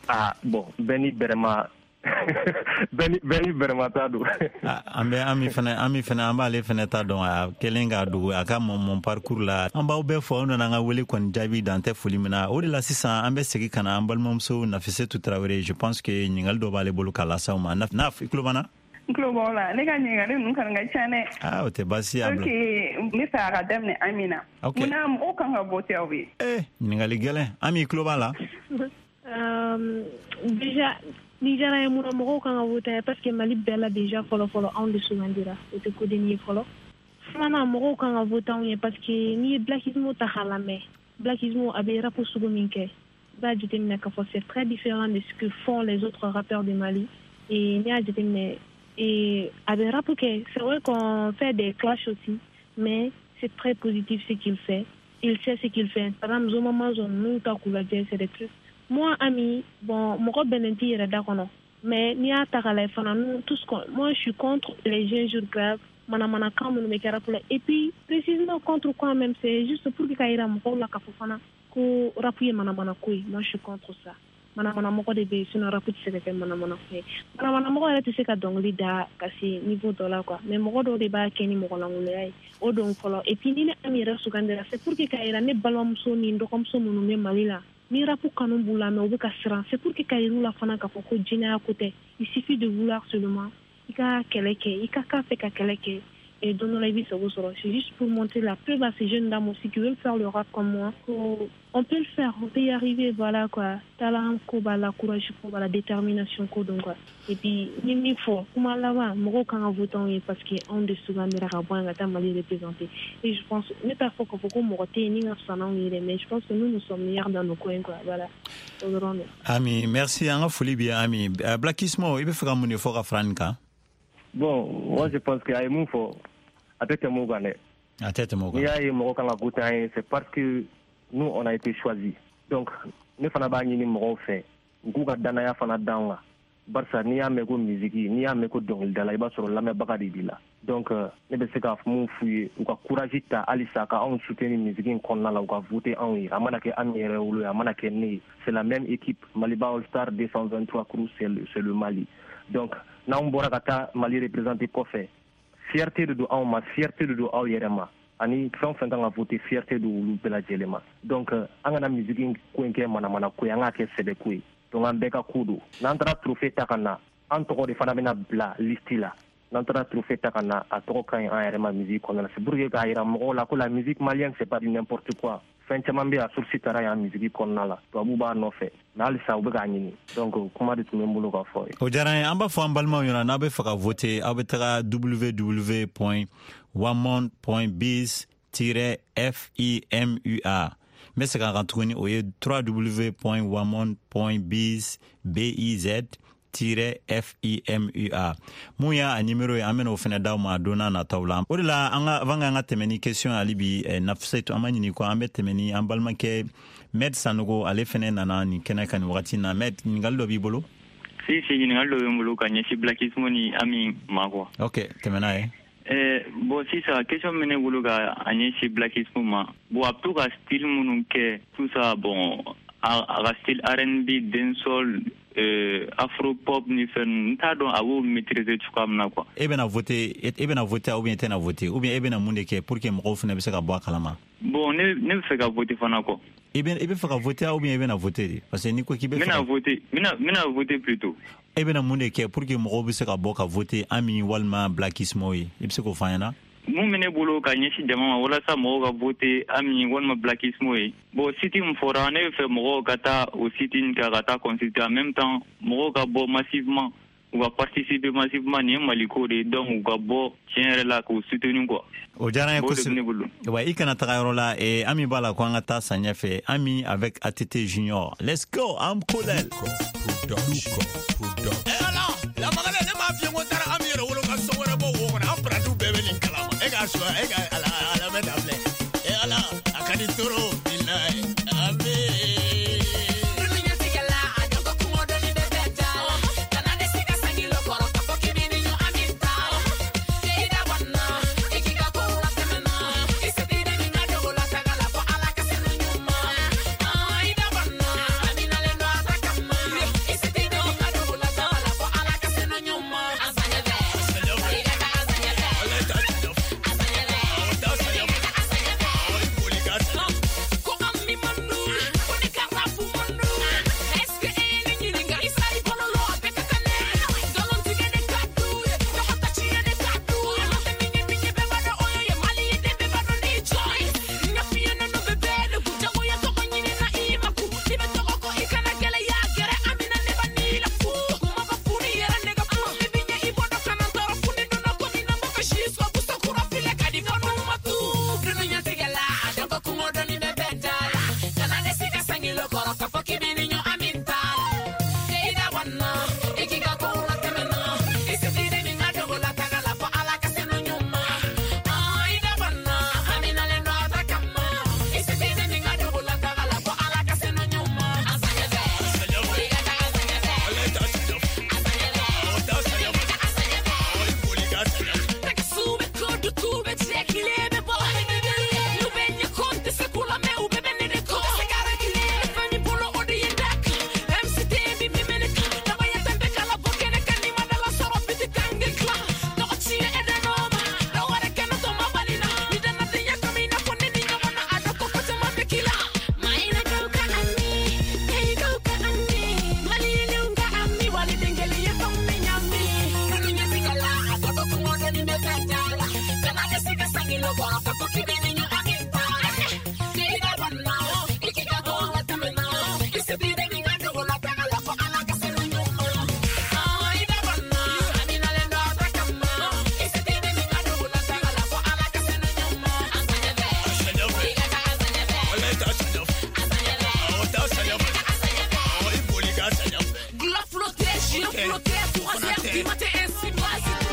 Ah, bon, bɛɛ ni bɛrɛma Bɛɛ ni bɛrɛmata don. An bɛ Ami fana, Ami fana, an b'ale fana ta dɔn. A kɛlen k'a dogo a ka mon parcours la. An b'aw bɛɛ fɔ, aw nana an ka wele kɔni jaabi, dan tɛ foli min na. O de la sisan an bɛ segin ka na an balimamuso Nafisetu Tarawele. Je pense que ɲininkali dɔ b'ale bolo k'a lase aw ma. Naf, i tulo b'an na? N tulo b'aw la. Ne ka ɲininkali ninnu kɔni ka ca dɛ. Ah, o tɛ baasi ye, a bila. Ok, n bɛ fɛ a ka daminɛ Ami na. Ok. Munna mɔgɔw kan ka voter aw ye? Eh, ɲininkali gɛlɛn. Ami, i tulo b'a la? Déjà ni diyara n ye, mun na mɔgɔw kan ka voter? Parce que Mali bɛɛ la déjà, fɔlɔ fɔlɔ, anw de sugandira, o tɛ kodenni ye fɔlɔ. Filanan, mɔgɔw kan ka voter anw ye parce que n'i ye Blackismo ta k'a lamɛn, Blackismo a bɛ rap sugu min kɛ, i b'a jateminɛ k'a fɔ c'est très différent de ce que font les autres rappeurs du Mali. Et n'i y'a jateminɛ, et a bɛ rap kɛ, c'est vrai qu'on fait des clashs aussi, mais c'est très positif ce qu'il fait. Il sait ce qu'il fait. Par exemple, Zoma Mazo ninnu ta k'u lajɛ, c'est des trucs. Moi, Ami, bon, mɔgɔ bɛnnen t'i yɛrɛ da kɔnɔ, mais n'i y'a ta k'a lajɛ fana, nous tous, moi je suis contre les injures graves, manamanakan minnu bɛ kɛ rap la. Et puis précisément contre quoi même, c'est juste pour que k'a yira mɔgɔw la k'a fɔ fana ko rap ye manamanako ye. Moi je suis contre ça. Manamanamɔgɔ de bɛ yen, sinon rap tɛ se ka kɛ manamanako ye. Manamanamɔgɔ yɛrɛ tɛ se ka dɔnkili da ka se niveau dɔ la quoi, mais mɔgɔ dɔw de b'a kɛ ni mɔgɔlankolonya ye, o don fɔlɔ. Et puis ni ne Ami yɛrɛ sugandira, c'est pour que k'a yira ne balimamuso ni n dɔgɔmuso minnu bɛ Mali la, ni rap kanu b'u la mais u bɛ ka siran, c'est pour que k'a yir'u la fana k'a fɔ ko jinɛya ko tɛ. Il suffit de vouloir seulement, i ka kɛlɛ kɛ, i ka k'a fɛ ka kɛlɛ kɛ, et don dɔ la i bɛ sago sɔrɔ. C'est juste pour montrer la preuve à ces jeunes dames aussi qui veulent faire le rap comme moi, on peut le faire, on peut y arriver, voilà quoi. Talent ko b'a la, courage ko b'a la, détermination ko don quoi. Et puis ni min fɔ kuma laban, mɔgɔw kan ka voter anw ye parce que anw de sugandira ka bɔ yan ka taa Mali représenter. Et je pense, ne t'a fɔ k'a fɔ ko mɔgɔ tɛ yen ni ka fisa n'anw ye dɛ, mais je pense que nous, nous sommes meilleurs dans nos coins quoi, voilà, o dɔrɔn don. Ami, merci. An ka foli b'i ye, Ami. Blackismo, i bɛ fɛ ka mun de fɔ ka fara nin kan? Bon, moi je pense que a ye mun fɔ, a tɛ tɛmɛ o kan dɛ. A tɛ tɛmɛ o kan. N'i y'a ye mɔgɔ kan ka voter an ye, c'est parce que nous, on a été choisis. Donc ne fana b'a ɲini mɔgɔw fɛ u k'u ka danaya fana d'an kan, barisa n'i y'a mɛn ko musique, n'i y'a mɛn ko dɔnkilidala, i b'a sɔrɔ lamɛnbaga de b'i la. Donc ne bɛ se ka mun f'u ye, u ka courage ta halisa ka anw soutenir musique in kɔnɔna la, u ka voter anw ye. A mana kɛ Ami yɛrɛ wolo ye, a mana kɛ ne ye, c'est la même équipe. Maliba All Star 223 Crew, c'est le Mali. Donc n'anw bɔra ka taa Mali représenter kɔfɛ, fierté de don anw ma, fierté de don aw yɛrɛ ma, ani fɛn o fɛn kan ka voter, fierté don olu bɛɛ lajɛlen ma. Donc an kana musique in ko in kɛ manamana ko ye, an k'a kɛ sɛbɛ ko ye. Donc an bɛɛ ka ko don. N'an taara trophée ta ka na, an tɔgɔ de fana bɛna bila liste la. N'an taara trophée ta ka na, a tɔgɔ ka ɲi an yɛrɛ ma musique kɔnɔna la. C'est pour que k'a yira mɔgɔw la ko la musique malienne, c'est pas du n'importe quoi. Fɛn caman bɛ yen, a source taara yan musique kɔnɔna la, tubabuw b'a nɔfɛ, mais halisa u bɛ k'a ɲini. Donc kuma de tun bɛ n bolo k'a fɔ ye. O diyara n ye. An b'a fɔ an balimaw ɲɛna, n'aw bɛ fɛ ka voter, aw bɛ taga www.wamon.biz-fimua. N bɛ segin a kan tuguni, o ye www.wamon.biz biz-fimua. Mun y'a nimero ye, an bɛna o fɛnɛ d'aw ma don n'a nataw la. O de la an ka avant k'an ka tɛmɛ ni question hali bi, Nafisetu, an b'a ɲini ko an bɛ tɛmɛ ni an balimakɛ Med Sanogo, ale fɛnɛ nana nin kɛnɛ kan nin wagati in na. Med, ɲininkali dɔ b'i bolo? Si si, ɲininkali dɔ bɛ n bolo ka ɲɛsin Blackismo ni Ami ma quoi. Ok, tɛmɛ n'a ye. Bon, sisan question min bɛ ne bolo ka a ɲɛsin Blackismo ma, bon, a bɛ to ka style minnu kɛ, tout ça, bon, a ka style R&B, dancehall, afro pop ni fɛn ninnu, n t'a dɔn a b'o maîtriser cogoya min na quoi. E bɛna voter, e bɛna voter ou bien e tɛna voter, ou bien e bɛna mun de kɛ pour que mɔgɔw fana bɛ se ka bɔ a kalama? Bon, ne bɛ fɛ ka voter fana quoi. I bɛ fɛ ka voter ou bien e bɛna voter de? Parce que n'i ko k'i bɛ N fɛ bɛna ka voter, n bɛna voter plutôt. E bɛna mun de kɛ pour que mɔgɔw bɛ se ka bɔ ka voter Ami walima Blackismo ye? I bɛ se k'o fɔ an ɲɛna? Mun bɛ ne bolo ka ɲɛsin jama ma walasa mɔgɔw ka voter Ami walima Blackismo ye, bon, site min fɔra, ne bɛ fɛ mɔgɔw ka taa o site in kan ka taa consulter. En même temps, mɔgɔw ka bɔ massivement, u ka participer massivement. Nin ye Maliko de ye, donc u ka bɔ tiɲɛ yɛrɛ la k'u soutenir quoi. O diyara n ye O de bɛ ne kosɛbɛ. bolo. Wa i kana taga yɔrɔ la, Ami b'a la ko an ka taa samiya fɛ. Ami avec ATT Junior, let's go, am Kolel. Ala lamakala, ne m'a f'i ye ko n taara Ami yɛrɛ wolo ka so wɛrɛ bɔ wo kɔnɔ. An parantiw bɛɛ bɛ nin kalama. E k'a suwa, e ka ala ala bɛ ta filɛ. E ala, a ka di toro bilayi Ami. Dunu ɲɛtigɛla, a dɔn ko kungo dɔnni bɛ bɛɛ da la. Kana dɛsɛ ka sangi lɔkɔrɔ k'a fɔ k'i b'i ni ɲɔ Ami ta la. I da bɔ n na, i k'i ka kow latɛmɛ n na. I se t'i dɛmɛ n ka dogo la taga la fɔ Ala ka senu ɲuman. I da bɔ n na, Ami nalen don a ta kama. I se t'i dɛmɛ n ka dogo la taga la fɔ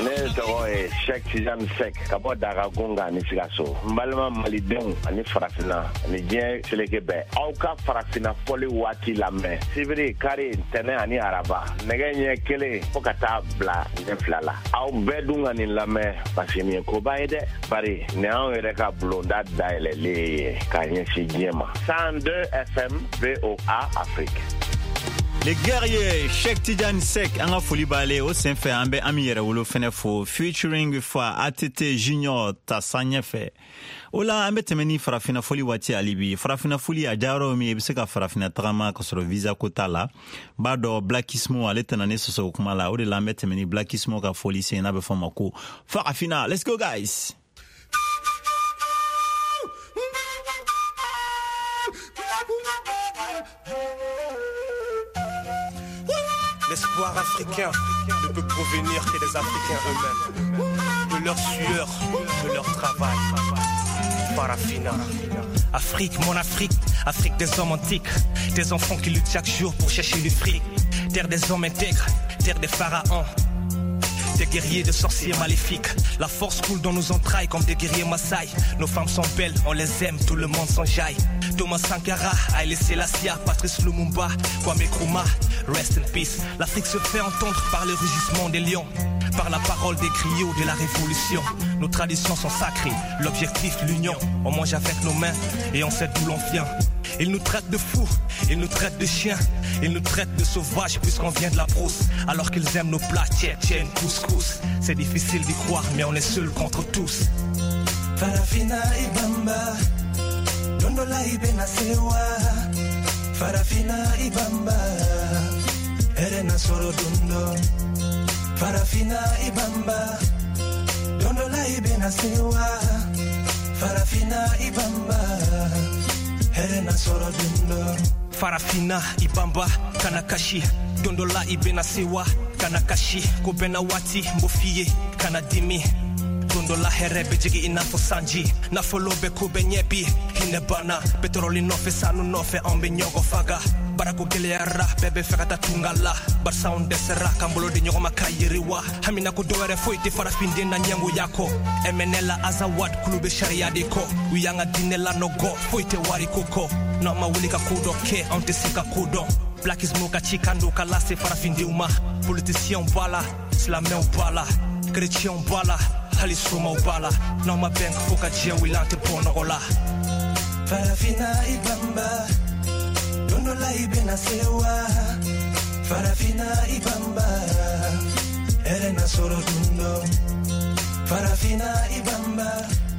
Ne tɔgɔ ye Cheikh Tidiane Seck ka bɔ Dagagunga ni Sikaso. N balima malidenw ani farafinna ani diɲɛ seleke bɛɛ, aw ka farafinna fɔli waati lamɛn sibiri, kari, ntɛnɛ ani araba, nɛgɛ ɲɛ 1 fo ka taa bila ɲɛ 2 la. Aw bɛɛ dun ka nin lamɛn parce que nin ye koba ye dɛ, bari nin y'anw yɛrɛ ka bulonda dayɛlɛlen ye k'a ɲɛsin diɲɛ ma. 102 FM VOA Afrique. Les guerriers, Cheikh Tidiane Seck, an ka foli b'ale o senfɛ. An bɛ Ami Yɛrɛwolo fɛnɛ fo, featuring fa ATT Junior ta san ɲɛfɛ. O la an bɛ tɛmɛ ni farafinna foli waati. Hali bi farafinna foli a diyayɔrɔ min, i bɛ se ka farafinna tagama ka sɔrɔ visa ko t'a la. N b'a dɔn Blackismo ale tɛna ne sɔsɔ o kuma la. O de la an bɛ tɛmɛ ni Blackismo ka foli sen, n'a bɛ fɔ o ma ko Farafina. Let's go guys. L'espoir africain ne peut provenir que des Africains eux-mêmes, de leur sueur, de leur travail. Farafina. Afrique, mon Afrique, Afrique des hommes antiques, des enfants qui luttent chaque jour pour chercher du fric, terre des hommes intègres, terre des pharaons, des guerriers, de sorciers maléfiques. La force coule dans nos entrailles comme des guerriers Maasai. Nos femmes sont belles, on les aime, tout le monde s'enjaille. Thomas Sankara, Haïlé Selassie, Patrice Lumumba, Kwame Nkrumah, rest in peace. L'Afrique se fait entendre par le rugissement des lions, par la parole des griots de la révolution. Nos traditions sont sacrées, l'objectif l'union. On mange avec nos mains et on sait d'où l'on vient. Ils nous traitent de fous, ils nous traitent de chiens, ils nous traitent de sauvages puisqu'on vient de la brousse. Alors qu'ils aiment nos plats tchétchènes, couscous. C'est difficile d'y croire, mais on est seuls contre tous. Farafina Ibamba, Dondola Ibena Sewa. Farafina Ibamba, Erena Soro Dundo. Farafina Ibamba, Dondola Ibena Sewa. Farafina Ibamba, Erena Soro Dundo. Farafina Ibamba, Kanakashi, Dondola Ibena Sewa, Kanakashi, Kobena Wati, Mbofiye, Kanadimi. Dondola hɛrɛ bɛ jigi i n'a fɔ sanji, nafolo bɛ ko bɛ ɲɛ bi, hinɛ banna, petroli nɔfɛ, sanu nɔfɛ, anw bɛ ɲɔgɔn faga. Barako gɛlɛyara, bɛɛ bɛ fɛ ka taa tunga la, barisa anw dɛsɛra k'an bolo di ɲɔgɔn ma ka yiriwa. Hamina ko dɔwɛrɛ foyi tɛ farafinden na ɲɛngoya kɔ. MNL Azawad kulu bɛ sariya de kɔ, u y'an ka diinɛ lanɔgɔ, foyi tɛ wariko kɔ. N'an ma wuli ka ko dɔ kɛ, anw tɛ se ka ko dɔn. Blackismo ka cikan don ka lase farafindenw ma. Politiciens b'a la, silamɛw b'a la, chrétiens b'a la, hali somaw b'a la. N'aw ma bɛn fo ka diɲɛ wuli, an tɛ bɔ nɔgɔ la. Farafina Ibamba, Dondola Ibena Sewa. Farafina Ibamba, Erena Soro Dundo. Farafina Ibamba.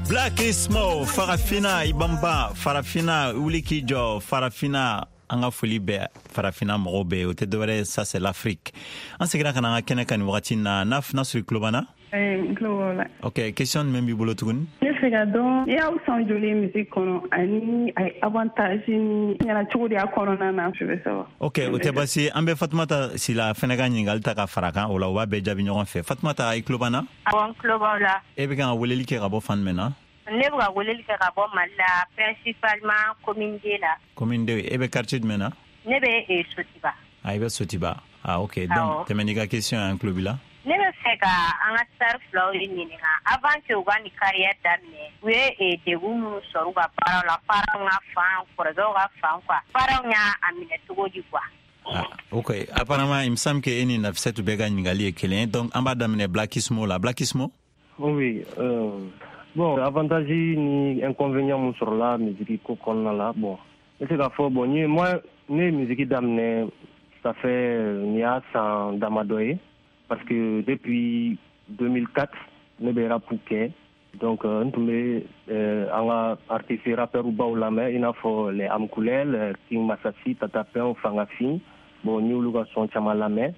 Blackismo, Farafina Ibamba, Farafina wuli k'i jɔ, Farafina. An ka foli bɛ farafina mɔgɔw bɛɛ ye, o tɛ dɔwɛrɛ, ça c'est l'Afrique. An seginna ka na an ka kɛnɛ kan nin wagati in na. N'a sɔrɔ i tulo b'an na? N tulo b'aw la. Ok, question jumɛn b'i bolo tuguni? Ne fɛ ka dɔn i y'aw san joli musique kɔnɔ ani a ye avantage ni ɲɛna cogo di a kɔnɔna na, je veux savoir. Ok, o tɛ baasi ye. An bɛ Fatumata Sila fɛnɛ ka ɲininkali ta ka fara kan, o la u b'a bɛɛ jaabi ɲɔgɔn fɛ. Fatumata, i tulo b'an na? Awɔ, n tulo b'aw la. E bɛ kan ka weleli kɛ ka bɔ fan jumɛn na? Ne bɛ ka weleli kɛ ka bɔ Mali la, principalement commune 2 la. Commune 2, e bɛ quartier jumɛn na? Ne bɛ Sotiba. Ah, i bɛ Sotiba. Ah, ok. Donc, tɛmɛ n'i ka question ye, an tulo b'i la. Ne bɛ fɛ ka an ka star filaw de ɲininka avant que u ka nin carrière daminɛ, u ye degun minnu sɔrɔ u ka baaraw la, parents ka fan, kɔrɔkɛw ka fan quoi, parents y'a minɛ cogo di quoi. Ah, ok, apparemment il me semble que e ni Nafissatou bɛɛ ka ɲininkali ye kelen ye. Donc an b'a daminɛ Blackismo la. Blackismo? Oui, bon, avantage ni inconvénient mun sɔrɔla musique ko kɔnɔna la, bon, n bɛ se k'a fɔ, bon, n ye, moi, ne ye musique daminɛ, ça fait nin y'a san damadɔ ye, parce que depuis 2004 ne bɛ rap kɛ. Donc n tun bɛ an ka artiste rappeur baw lamɛn, i n'a fɔ les Amkoulel, King Masasi, Tata Pɛn, Fangafin. Bon, n y'olu ka son caman lamɛn.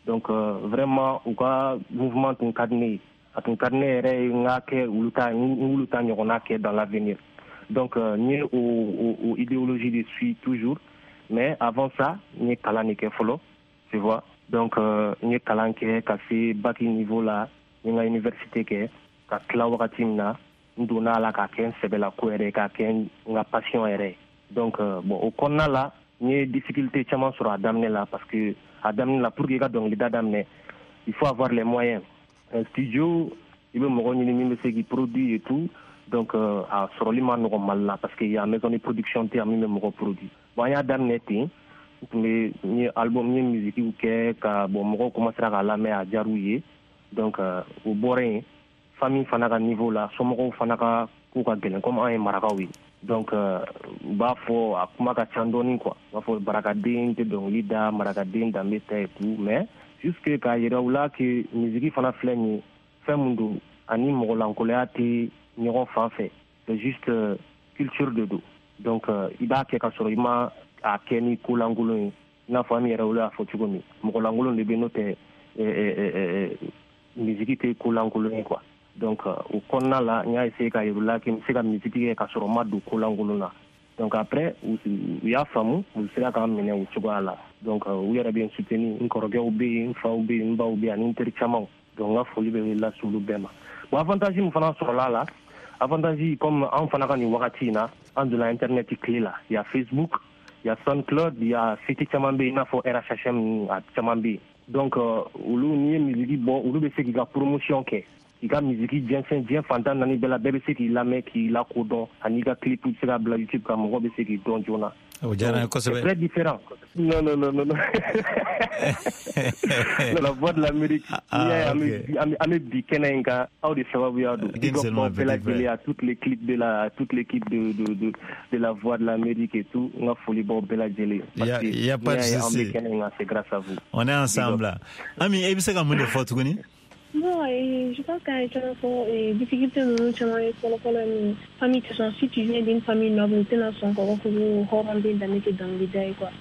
Donc vraiment u ka mouvement tun ka di ne ye, a tun ka di ne yɛrɛ ye n ka kɛ olu ta, n k'olu ta ɲɔgɔnna kɛ dans l'avenir. Donc n ye o idéologie de suit toujours, mais avant ça n ye kalan de kɛ fɔlɔ, tu vois. Donc n ye kalan kɛ ka se bac niveau la, n ye n ka université kɛ ka tila. Wagati min na n donna a la k'a kɛ n sɛbɛla ko yɛrɛ, k'a kɛ n ka passion yɛrɛ ye. Donc bon, o kɔnɔna la N ye difficulté caman sɔrɔ a daminɛ la, parce que a daminɛ la, pour que i ka dɔnkilida daminɛ, il faut avoir les moyens, un studio, i bɛ mɔgɔ ɲini min bɛ se k'i produit et tout. Donc a sɔrɔli ma nɔgɔn Mali la, parce que y a maison de production tɛ yan min bɛ mɔgɔ produit. Bon, an y'a daminɛ ten, n tun bɛ, n ye album, n ye musique kɛ ka bon, mɔgɔw commencera k'a lamɛn, a diyar'u ye. Donc o bɔra yen, famille fana ka niveau la, somɔgɔw fana ka ko ka gɛlɛn, comme an ye marakaw ye. Donc u b'a fɔ a kuma ka ca dɔɔni quoi, u b'a fɔ barakaden tɛ dɔnkili da, marakaden danbe tɛ et tout. Mais jusque k'a yira u la que musique fana filɛ nin ye, fɛn mun don, ani mɔgɔlankoloya tɛ ɲɔgɔn fan fɛ, c'est juste culture de don. Donc i b'a kɛ ka sɔrɔ i ma a kɛ ni ko lankolon ye, i n'a fɔ an yɛrɛ olu y'a fɔ cogo min, mɔgɔ lankolon de bɛ, n'o tɛ musique tɛ ko lankolon ye quoi. Donc o kɔnɔna la, n y'a essayé ka yir'u la que n bɛ se ka musique kɛ ka sɔrɔ n ma don ko lankolon na. Donc après, u y'a faamu, u sera k'an minɛ o cogoya la. Donc u yɛrɛ bɛ n soutenir, n kɔrɔkɛw bɛ yen, n faw bɛ yen, n baw bɛ yen, ani n teri camanw. Donc n ka foli bɛ lase olu bɛɛ ma. Bon, avantage min fana sɔrɔla a la, avantage, comme an fana ka nin wagati in na, an donna internet tile la, il y a Facebook, il y a SoundCloud, il y a site caman bɛ yen, i n'a fɔ RHHM, a caman bɛ yen. Donc olu, n'i ye musique bɔ, olu bɛ se k'i ka promotion kɛ, k'i ka musique jɛnsɛn diɲɛ fantan naani bɛɛ la, bɛɛ bɛ se k'i lamɛn, k'i lakodɔn, ani i ka clip bɛ se ka bila YouTube kan, mɔgɔ bɛ se k'i dɔn joona. O diyara n ye kosɛbɛ. C'est très différent. Non, non, non, non, non. La Voix de l'Amérique, n'i y'a ye an bɛ bi kɛnɛ in kan, aw de sababuya don. Big up bɛɛ lajɛlen, à toute l'équipe de la toute l'équipe de la Voix de l'Amérique et tout, n ka foli b'aw bɛɛ lajɛlen. Il y a pas de souci. An souci. bɛ kɛnɛ in kan, c'est grâce à vous. On est ensemble là. Ami, e bɛ se ka mun de fɔ tuguni? Bon, et je pense qu'un caman fɔ difficulté ninnu caman ye fɔlɔ-fɔlɔ ye min ye, famille tɛ sɔn. Si tu viens d'une famille noble, u tɛna sɔn k'a fɔ ko hɔrɔnden danbe tɛ dɔnkilida ye quoi.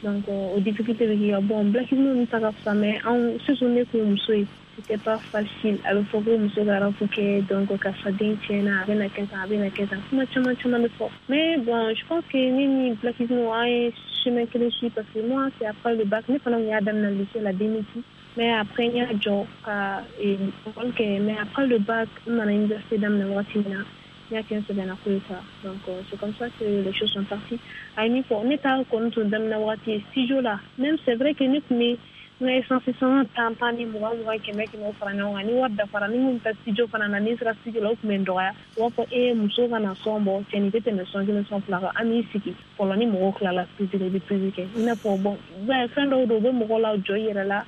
Donc o difficulté bɛ k'i kan. Bon, Black ninnu ta ka fisa, mais anw surtout ne kun ye muso ye, c'était pas facile. A bɛ fɔ ko muso ka rap kɛ, donc karisa den tiɲɛna, a bɛna kɛ tan, a bɛna kɛ tan, kuma caman caman bɛ fɔ. Mais bon, je pense que ne ni Black an ye chemin kelen suit, parce que moi, c'est après le bac, ne fana kun y'a daminɛ lycée la 2006. Mais après, n y'a jɔ ka école kɛ. Mais après le bac, n nana université daminɛ wagati min na, n y'a kɛ n sɛbɛnna ko ye quoi. Donc c'est comme ça que les choses sont parties. A ye min fɔ, ne ta kɔni tun daminɛ wagati ye studio la. Même c'est vrai que ne tun bɛ n ka essence sɔngɔ tan tan ni 20 20, 100 100 fara ɲɔgɔn kan. Ni wari dafara, ni n kun bɛ taa studio fana na, ni n sera studio la, o tun bɛ n dɔgɔya. U b'a fɔ e muso ka na son bɔ, cɛnin tɛ tɛmɛ son kelen son fila kan, an b'i sigi fɔlɔ, ni mɔgɔw tilala prise la, i bɛ prise kɛ. I n'a fɔ bon, fɛn dɔw don, u bɛ mɔgɔ la jɔ i yɛrɛ la,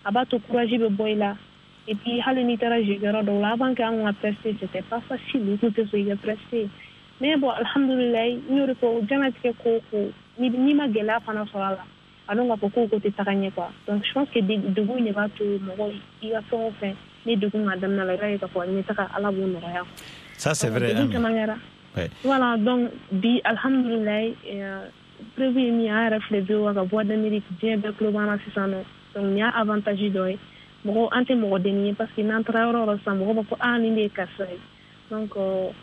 a b'a to courage bɛ bɔ i la. Et puis hali n'i taara jeu yɔrɔ dɔw la, avant que an ka prester, c'était pas facile, i tun tɛ sɔn i ka prester. Mais bon, alhamdulilayi, n y'o de fɔ, diɲɛlatigɛ ko o ko, n'i ma gɛlɛya fana sɔrɔ a la, a dɔn k'a fɔ ko tɛ taga ɲɛ quoi. Donc je pense que degun in de b'a to mɔgɔ i ka fɛn o fɛn, ni degun ka daminɛ la, i b'a ye k'a fɔ ɲɛtaga, Ala b'o nɔgɔya. Ça, c'est vrai. Degun caman kɛra. Voilà, donc bi alhamdulilayi, preuve ye min ye, an yɛrɛ filɛ VOA ka Voix d'Amérique, diɲɛ bɛɛ tulo b'an na sisan nɔ. Donc nin y'a avantage dɔ ye. Mɔgɔ an tɛ mɔgɔ denni ye, parce que n'an taara yɔrɔ o yɔrɔ sisan, mɔgɔ b'a fɔ ah, nin de ye karisa ye. Donc o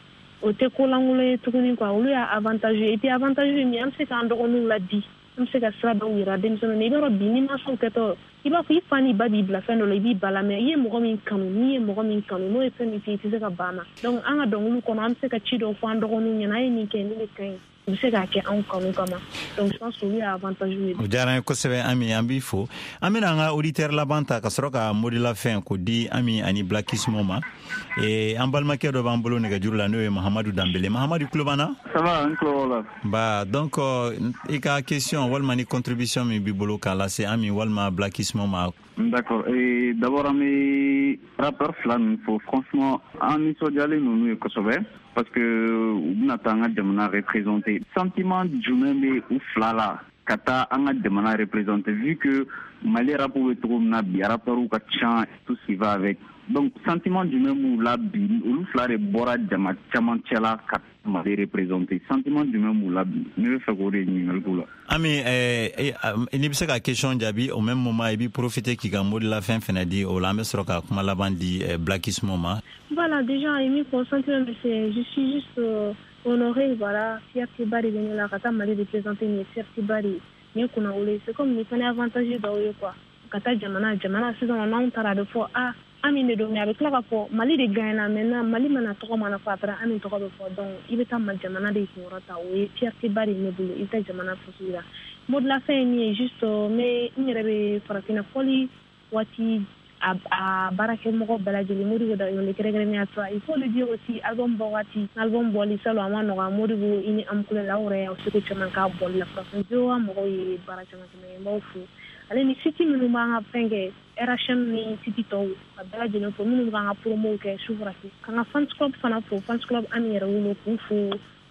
tɛ ko lankolon ye tuguni quoi, olu y'a avantage ye. Et puis avantage ye min ye, an bɛ se k'an dɔgɔninw ladi, an bɛ se ka sira dɔw yira denmisɛnninw na. I b'a dɔn bi, ni mansaw kɛtɔ, i b'a fɔ i fa n'i ba b'i bila fɛn dɔ la, i b'i ba la, mais i ye mɔgɔ min kanu, n'i ye mɔgɔ min kanu, n'o ye fɛn min f'i ye, i tɛ se ka ban a ma. Donc an ka dɔnkiliw kɔnɔ, an bɛ se ka ci dɔw fɔ an dɔgɔninw ɲɛna, a ye nin kɛ, nin de ka ɲi. U bɛ se k'a kɛ anw kanu kama. Donc je pense que olu y'a avantage ye. O diyara n ye kosɛbɛ Ami, an b'i fo. An bɛna an ka auditeur laban ta ka sɔrɔ ka mot de la fin k'o di Ami ani Black Ismo ma. An balimakɛ dɔ b'an bolo nɛgɛjuru la, n'o ye Mahamadu Danbele. Mahamadu, tulo b'an na? Ça va, n tulo b'aw la. Ba, donc i ka question walima ni contribution min b'i bolo k'a lase Ami walima Black Ismo ma. D'accord. Et d'abord, an bɛ rappeur fila ninnu fo. Franchement, an nisɔndiyalen ninnu ye kosɛbɛ, parce que u bɛna taa an ka jamana représenter. Sentiment jumɛn bɛ u fila la ka taa an ka jamana représenter, vu que Mali rap bɛ cogo min na bi, rappeurs ka ca, tout ce qui va avec. Donc sentiment jumɛn b'u la bi, olu fila de bɔra jama caman cɛla ka Mali représenter, sentiment jumɛn b'u la bi? Ne bɛ fɛ k'o de ɲininkali k'u la. Ami, n'i bɛ se ka question jaabi, au même moment i b'i profiter k'i ka mot de la fin fɛnɛ di, o la an bɛ sɔrɔ ka kuma laban di Black Ismo ma. Voilà, déjà, et mi sentiment, c'est, je suis juste honorée, voilà, fierté ba de bɛ ne la ka taa Mali représenter, nin ye fierté ba de ye, nin ye kunnawolo ye. C'est comme nin fana ye avantage dɔw ye quoi, ka taa jamana sisan n'anw taara, a bɛ fɔ ah, Ami de don, mais a bɛ tila k'a fɔ Mali de gagnera. Maintenant Mali mana tɔgɔ mana fɔ, après Ami tɔgɔ bɛ fɔ. Donc i bɛ taa jamana de kunkɔrɔ ta, o ye fierté ba de ye ne bolo. I bɛ taa jamana faso la. Mot de la fin ye min ye, juste n bɛ n yɛrɛ bɛ farafinna fɔli waati a baarakɛmɔgɔ bɛɛ lajɛlen, Modibo Dayɔle kɛrɛnkɛrɛnnenya toi, il faut le dire aussi, album bɔ waati, album bɔli salon a ma nɔgɔ. Modibo, i ni Amukulɛli, aw yɛrɛ y'aw seko caman k'a bɔli la. Farafin VOA mɔgɔw ye baara caman caman kɛ, n b'aw fo, ale ni site minnu b'an ka fɛn kɛ, RHM ni site tɔw, ka bɛɛ lajɛlen fo, minnu b'an ka promow kɛ su fara su, k'an ka fans club fana fo, fans club Ami Yɛrɛwolo, k'u fo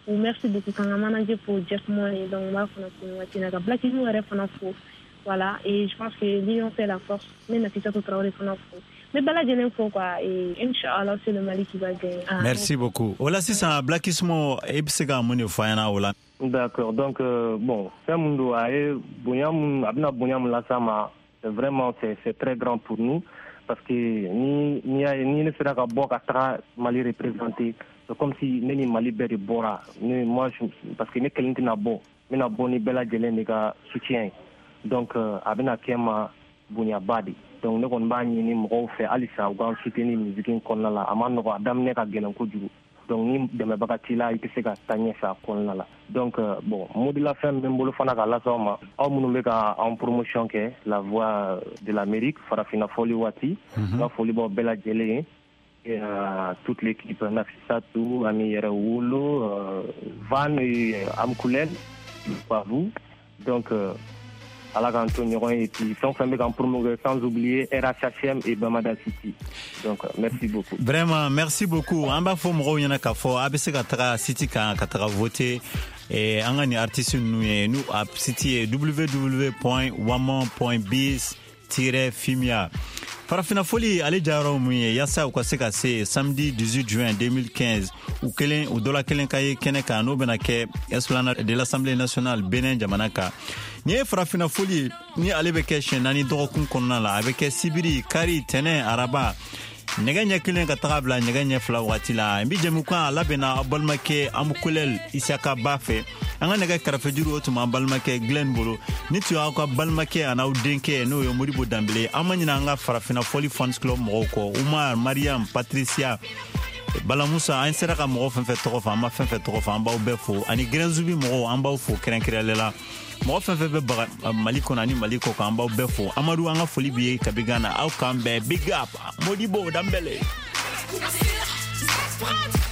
u merci beaucoup, k'an ka manager fo, Jeff Money. Donc n b'a fana fo nin waati in na, ka Black Ismo yɛrɛ fana fo. Voilà, et je pense que l'union fait la force. N bɛ Nafissatou Traoré fana fo, n bɛ bɛɛ lajɛlen fo quoi, et inchallah c'est le Mali qui va gagner. Ah. Merci beaucoup. O la sisan, Black Ismo, e bɛ se ka mun de fɔ an ɲɛna o la? D'accord. Donc bon, fɛn mun don, a ye bonya mun, a bɛna bonya mun las'an ma, c'est vraiment c'est très grand pour nous, parce que ni y'a ye ni ne sera ka bɔ ka taga Mali représenter, c'est comme si ne ni Mali bɛɛ de bɔra. Ne moi je, parce que ne kelen tɛna bɔ, n bɛna bɔ ni bɛɛ lajɛlen de ka soutien ye. Donc a bɛna kɛ n ma bonyaba de. Donc ne kɔni b'a ɲini mɔgɔw fɛ halisa u k'an soutenir musique in kɔnɔna la. A ma nɔgɔ, a daminɛ ka gɛlɛn kojugu. Donc ni dɛmɛbaga t'i la, i tɛ se ka taa ɲɛfɛ a kɔnɔna la. Donc bon, mot de la fin bɛ n bolo fana k'a lase aw ma, aw minnu bɛ ka an promotion kɛ la Voix de l'Amérique, farafinna fɔli waati. N ka foli b'aw bɛɛ lajɛlen ye, et toute l'équipe, Nafissatou, Ami Yɛrɛwolo, Van et Amkoulel, à vous. Donc ala k'an to ɲɔgɔn ye, et puis fɛn o fɛn bɛ k'an promouvoir, sans oublier RHHM et Bamada City. Donc merci beaucoup. Vraiment, merci beaucoup. An b'a fɔ mɔgɔw ɲɛna k'a fɔ a bɛ se ka taga site kan ka taga voter an ka nin artiste ninnu ye. N'u a site ye www.wamon.biz-fimia. Farafina foli ale jayɔrɔ mun ye, yaasa u ka se ka se samedi 18 juin 2015, u kelen u dɔla kelen ka ye kɛnɛ kan, n'o bɛna kɛ Esplanade de l'Assemblée nationale, Benin jamana kan. Nin ye farafina foli ye ni ale bɛ kɛ siɲɛ 4 dɔgɔkun kɔnɔna la. A bɛ kɛ sibiri, kari, tɛnɛ, araba, nɛgɛ ɲɛ 1 ka taga bila nɛgɛ ɲɛ 2 wagati la. N bi jɛmukan a labɛnna aw balimakɛ Amukulɛl Isaka ba fɛ. An ka nɛgɛ karafejuru, o tun b'an balimakɛ Glenn bolo. Ni tun y'aw ka balimakɛ an'aw denkɛ, n'o ye Modibo Danbele. An ma ɲinɛ an ka farafina fɔli fans club mɔgɔw kɔ, Umar, Mariam, Patricia, Bala Musa. An sera ka mɔgɔ fɛn fɛn tɔgɔ fɔ, an ma fɛn fɛn tɔgɔ fɔ, an b'aw bɛɛ fo. Ani Gɛrɛnzubi mɔgɔw, an b'aw fo kɛrɛnkɛrɛnlen la. Mɔgɔ fɛn fɛn bɛ baga Mali kɔnɔ ani Mali kɔ kan, an b'aw bɛɛ fo. Amadu, an ka foli b'i ye kabi Gana. Aw k'an bɛn. Big up, Modibo Danbele. Prod.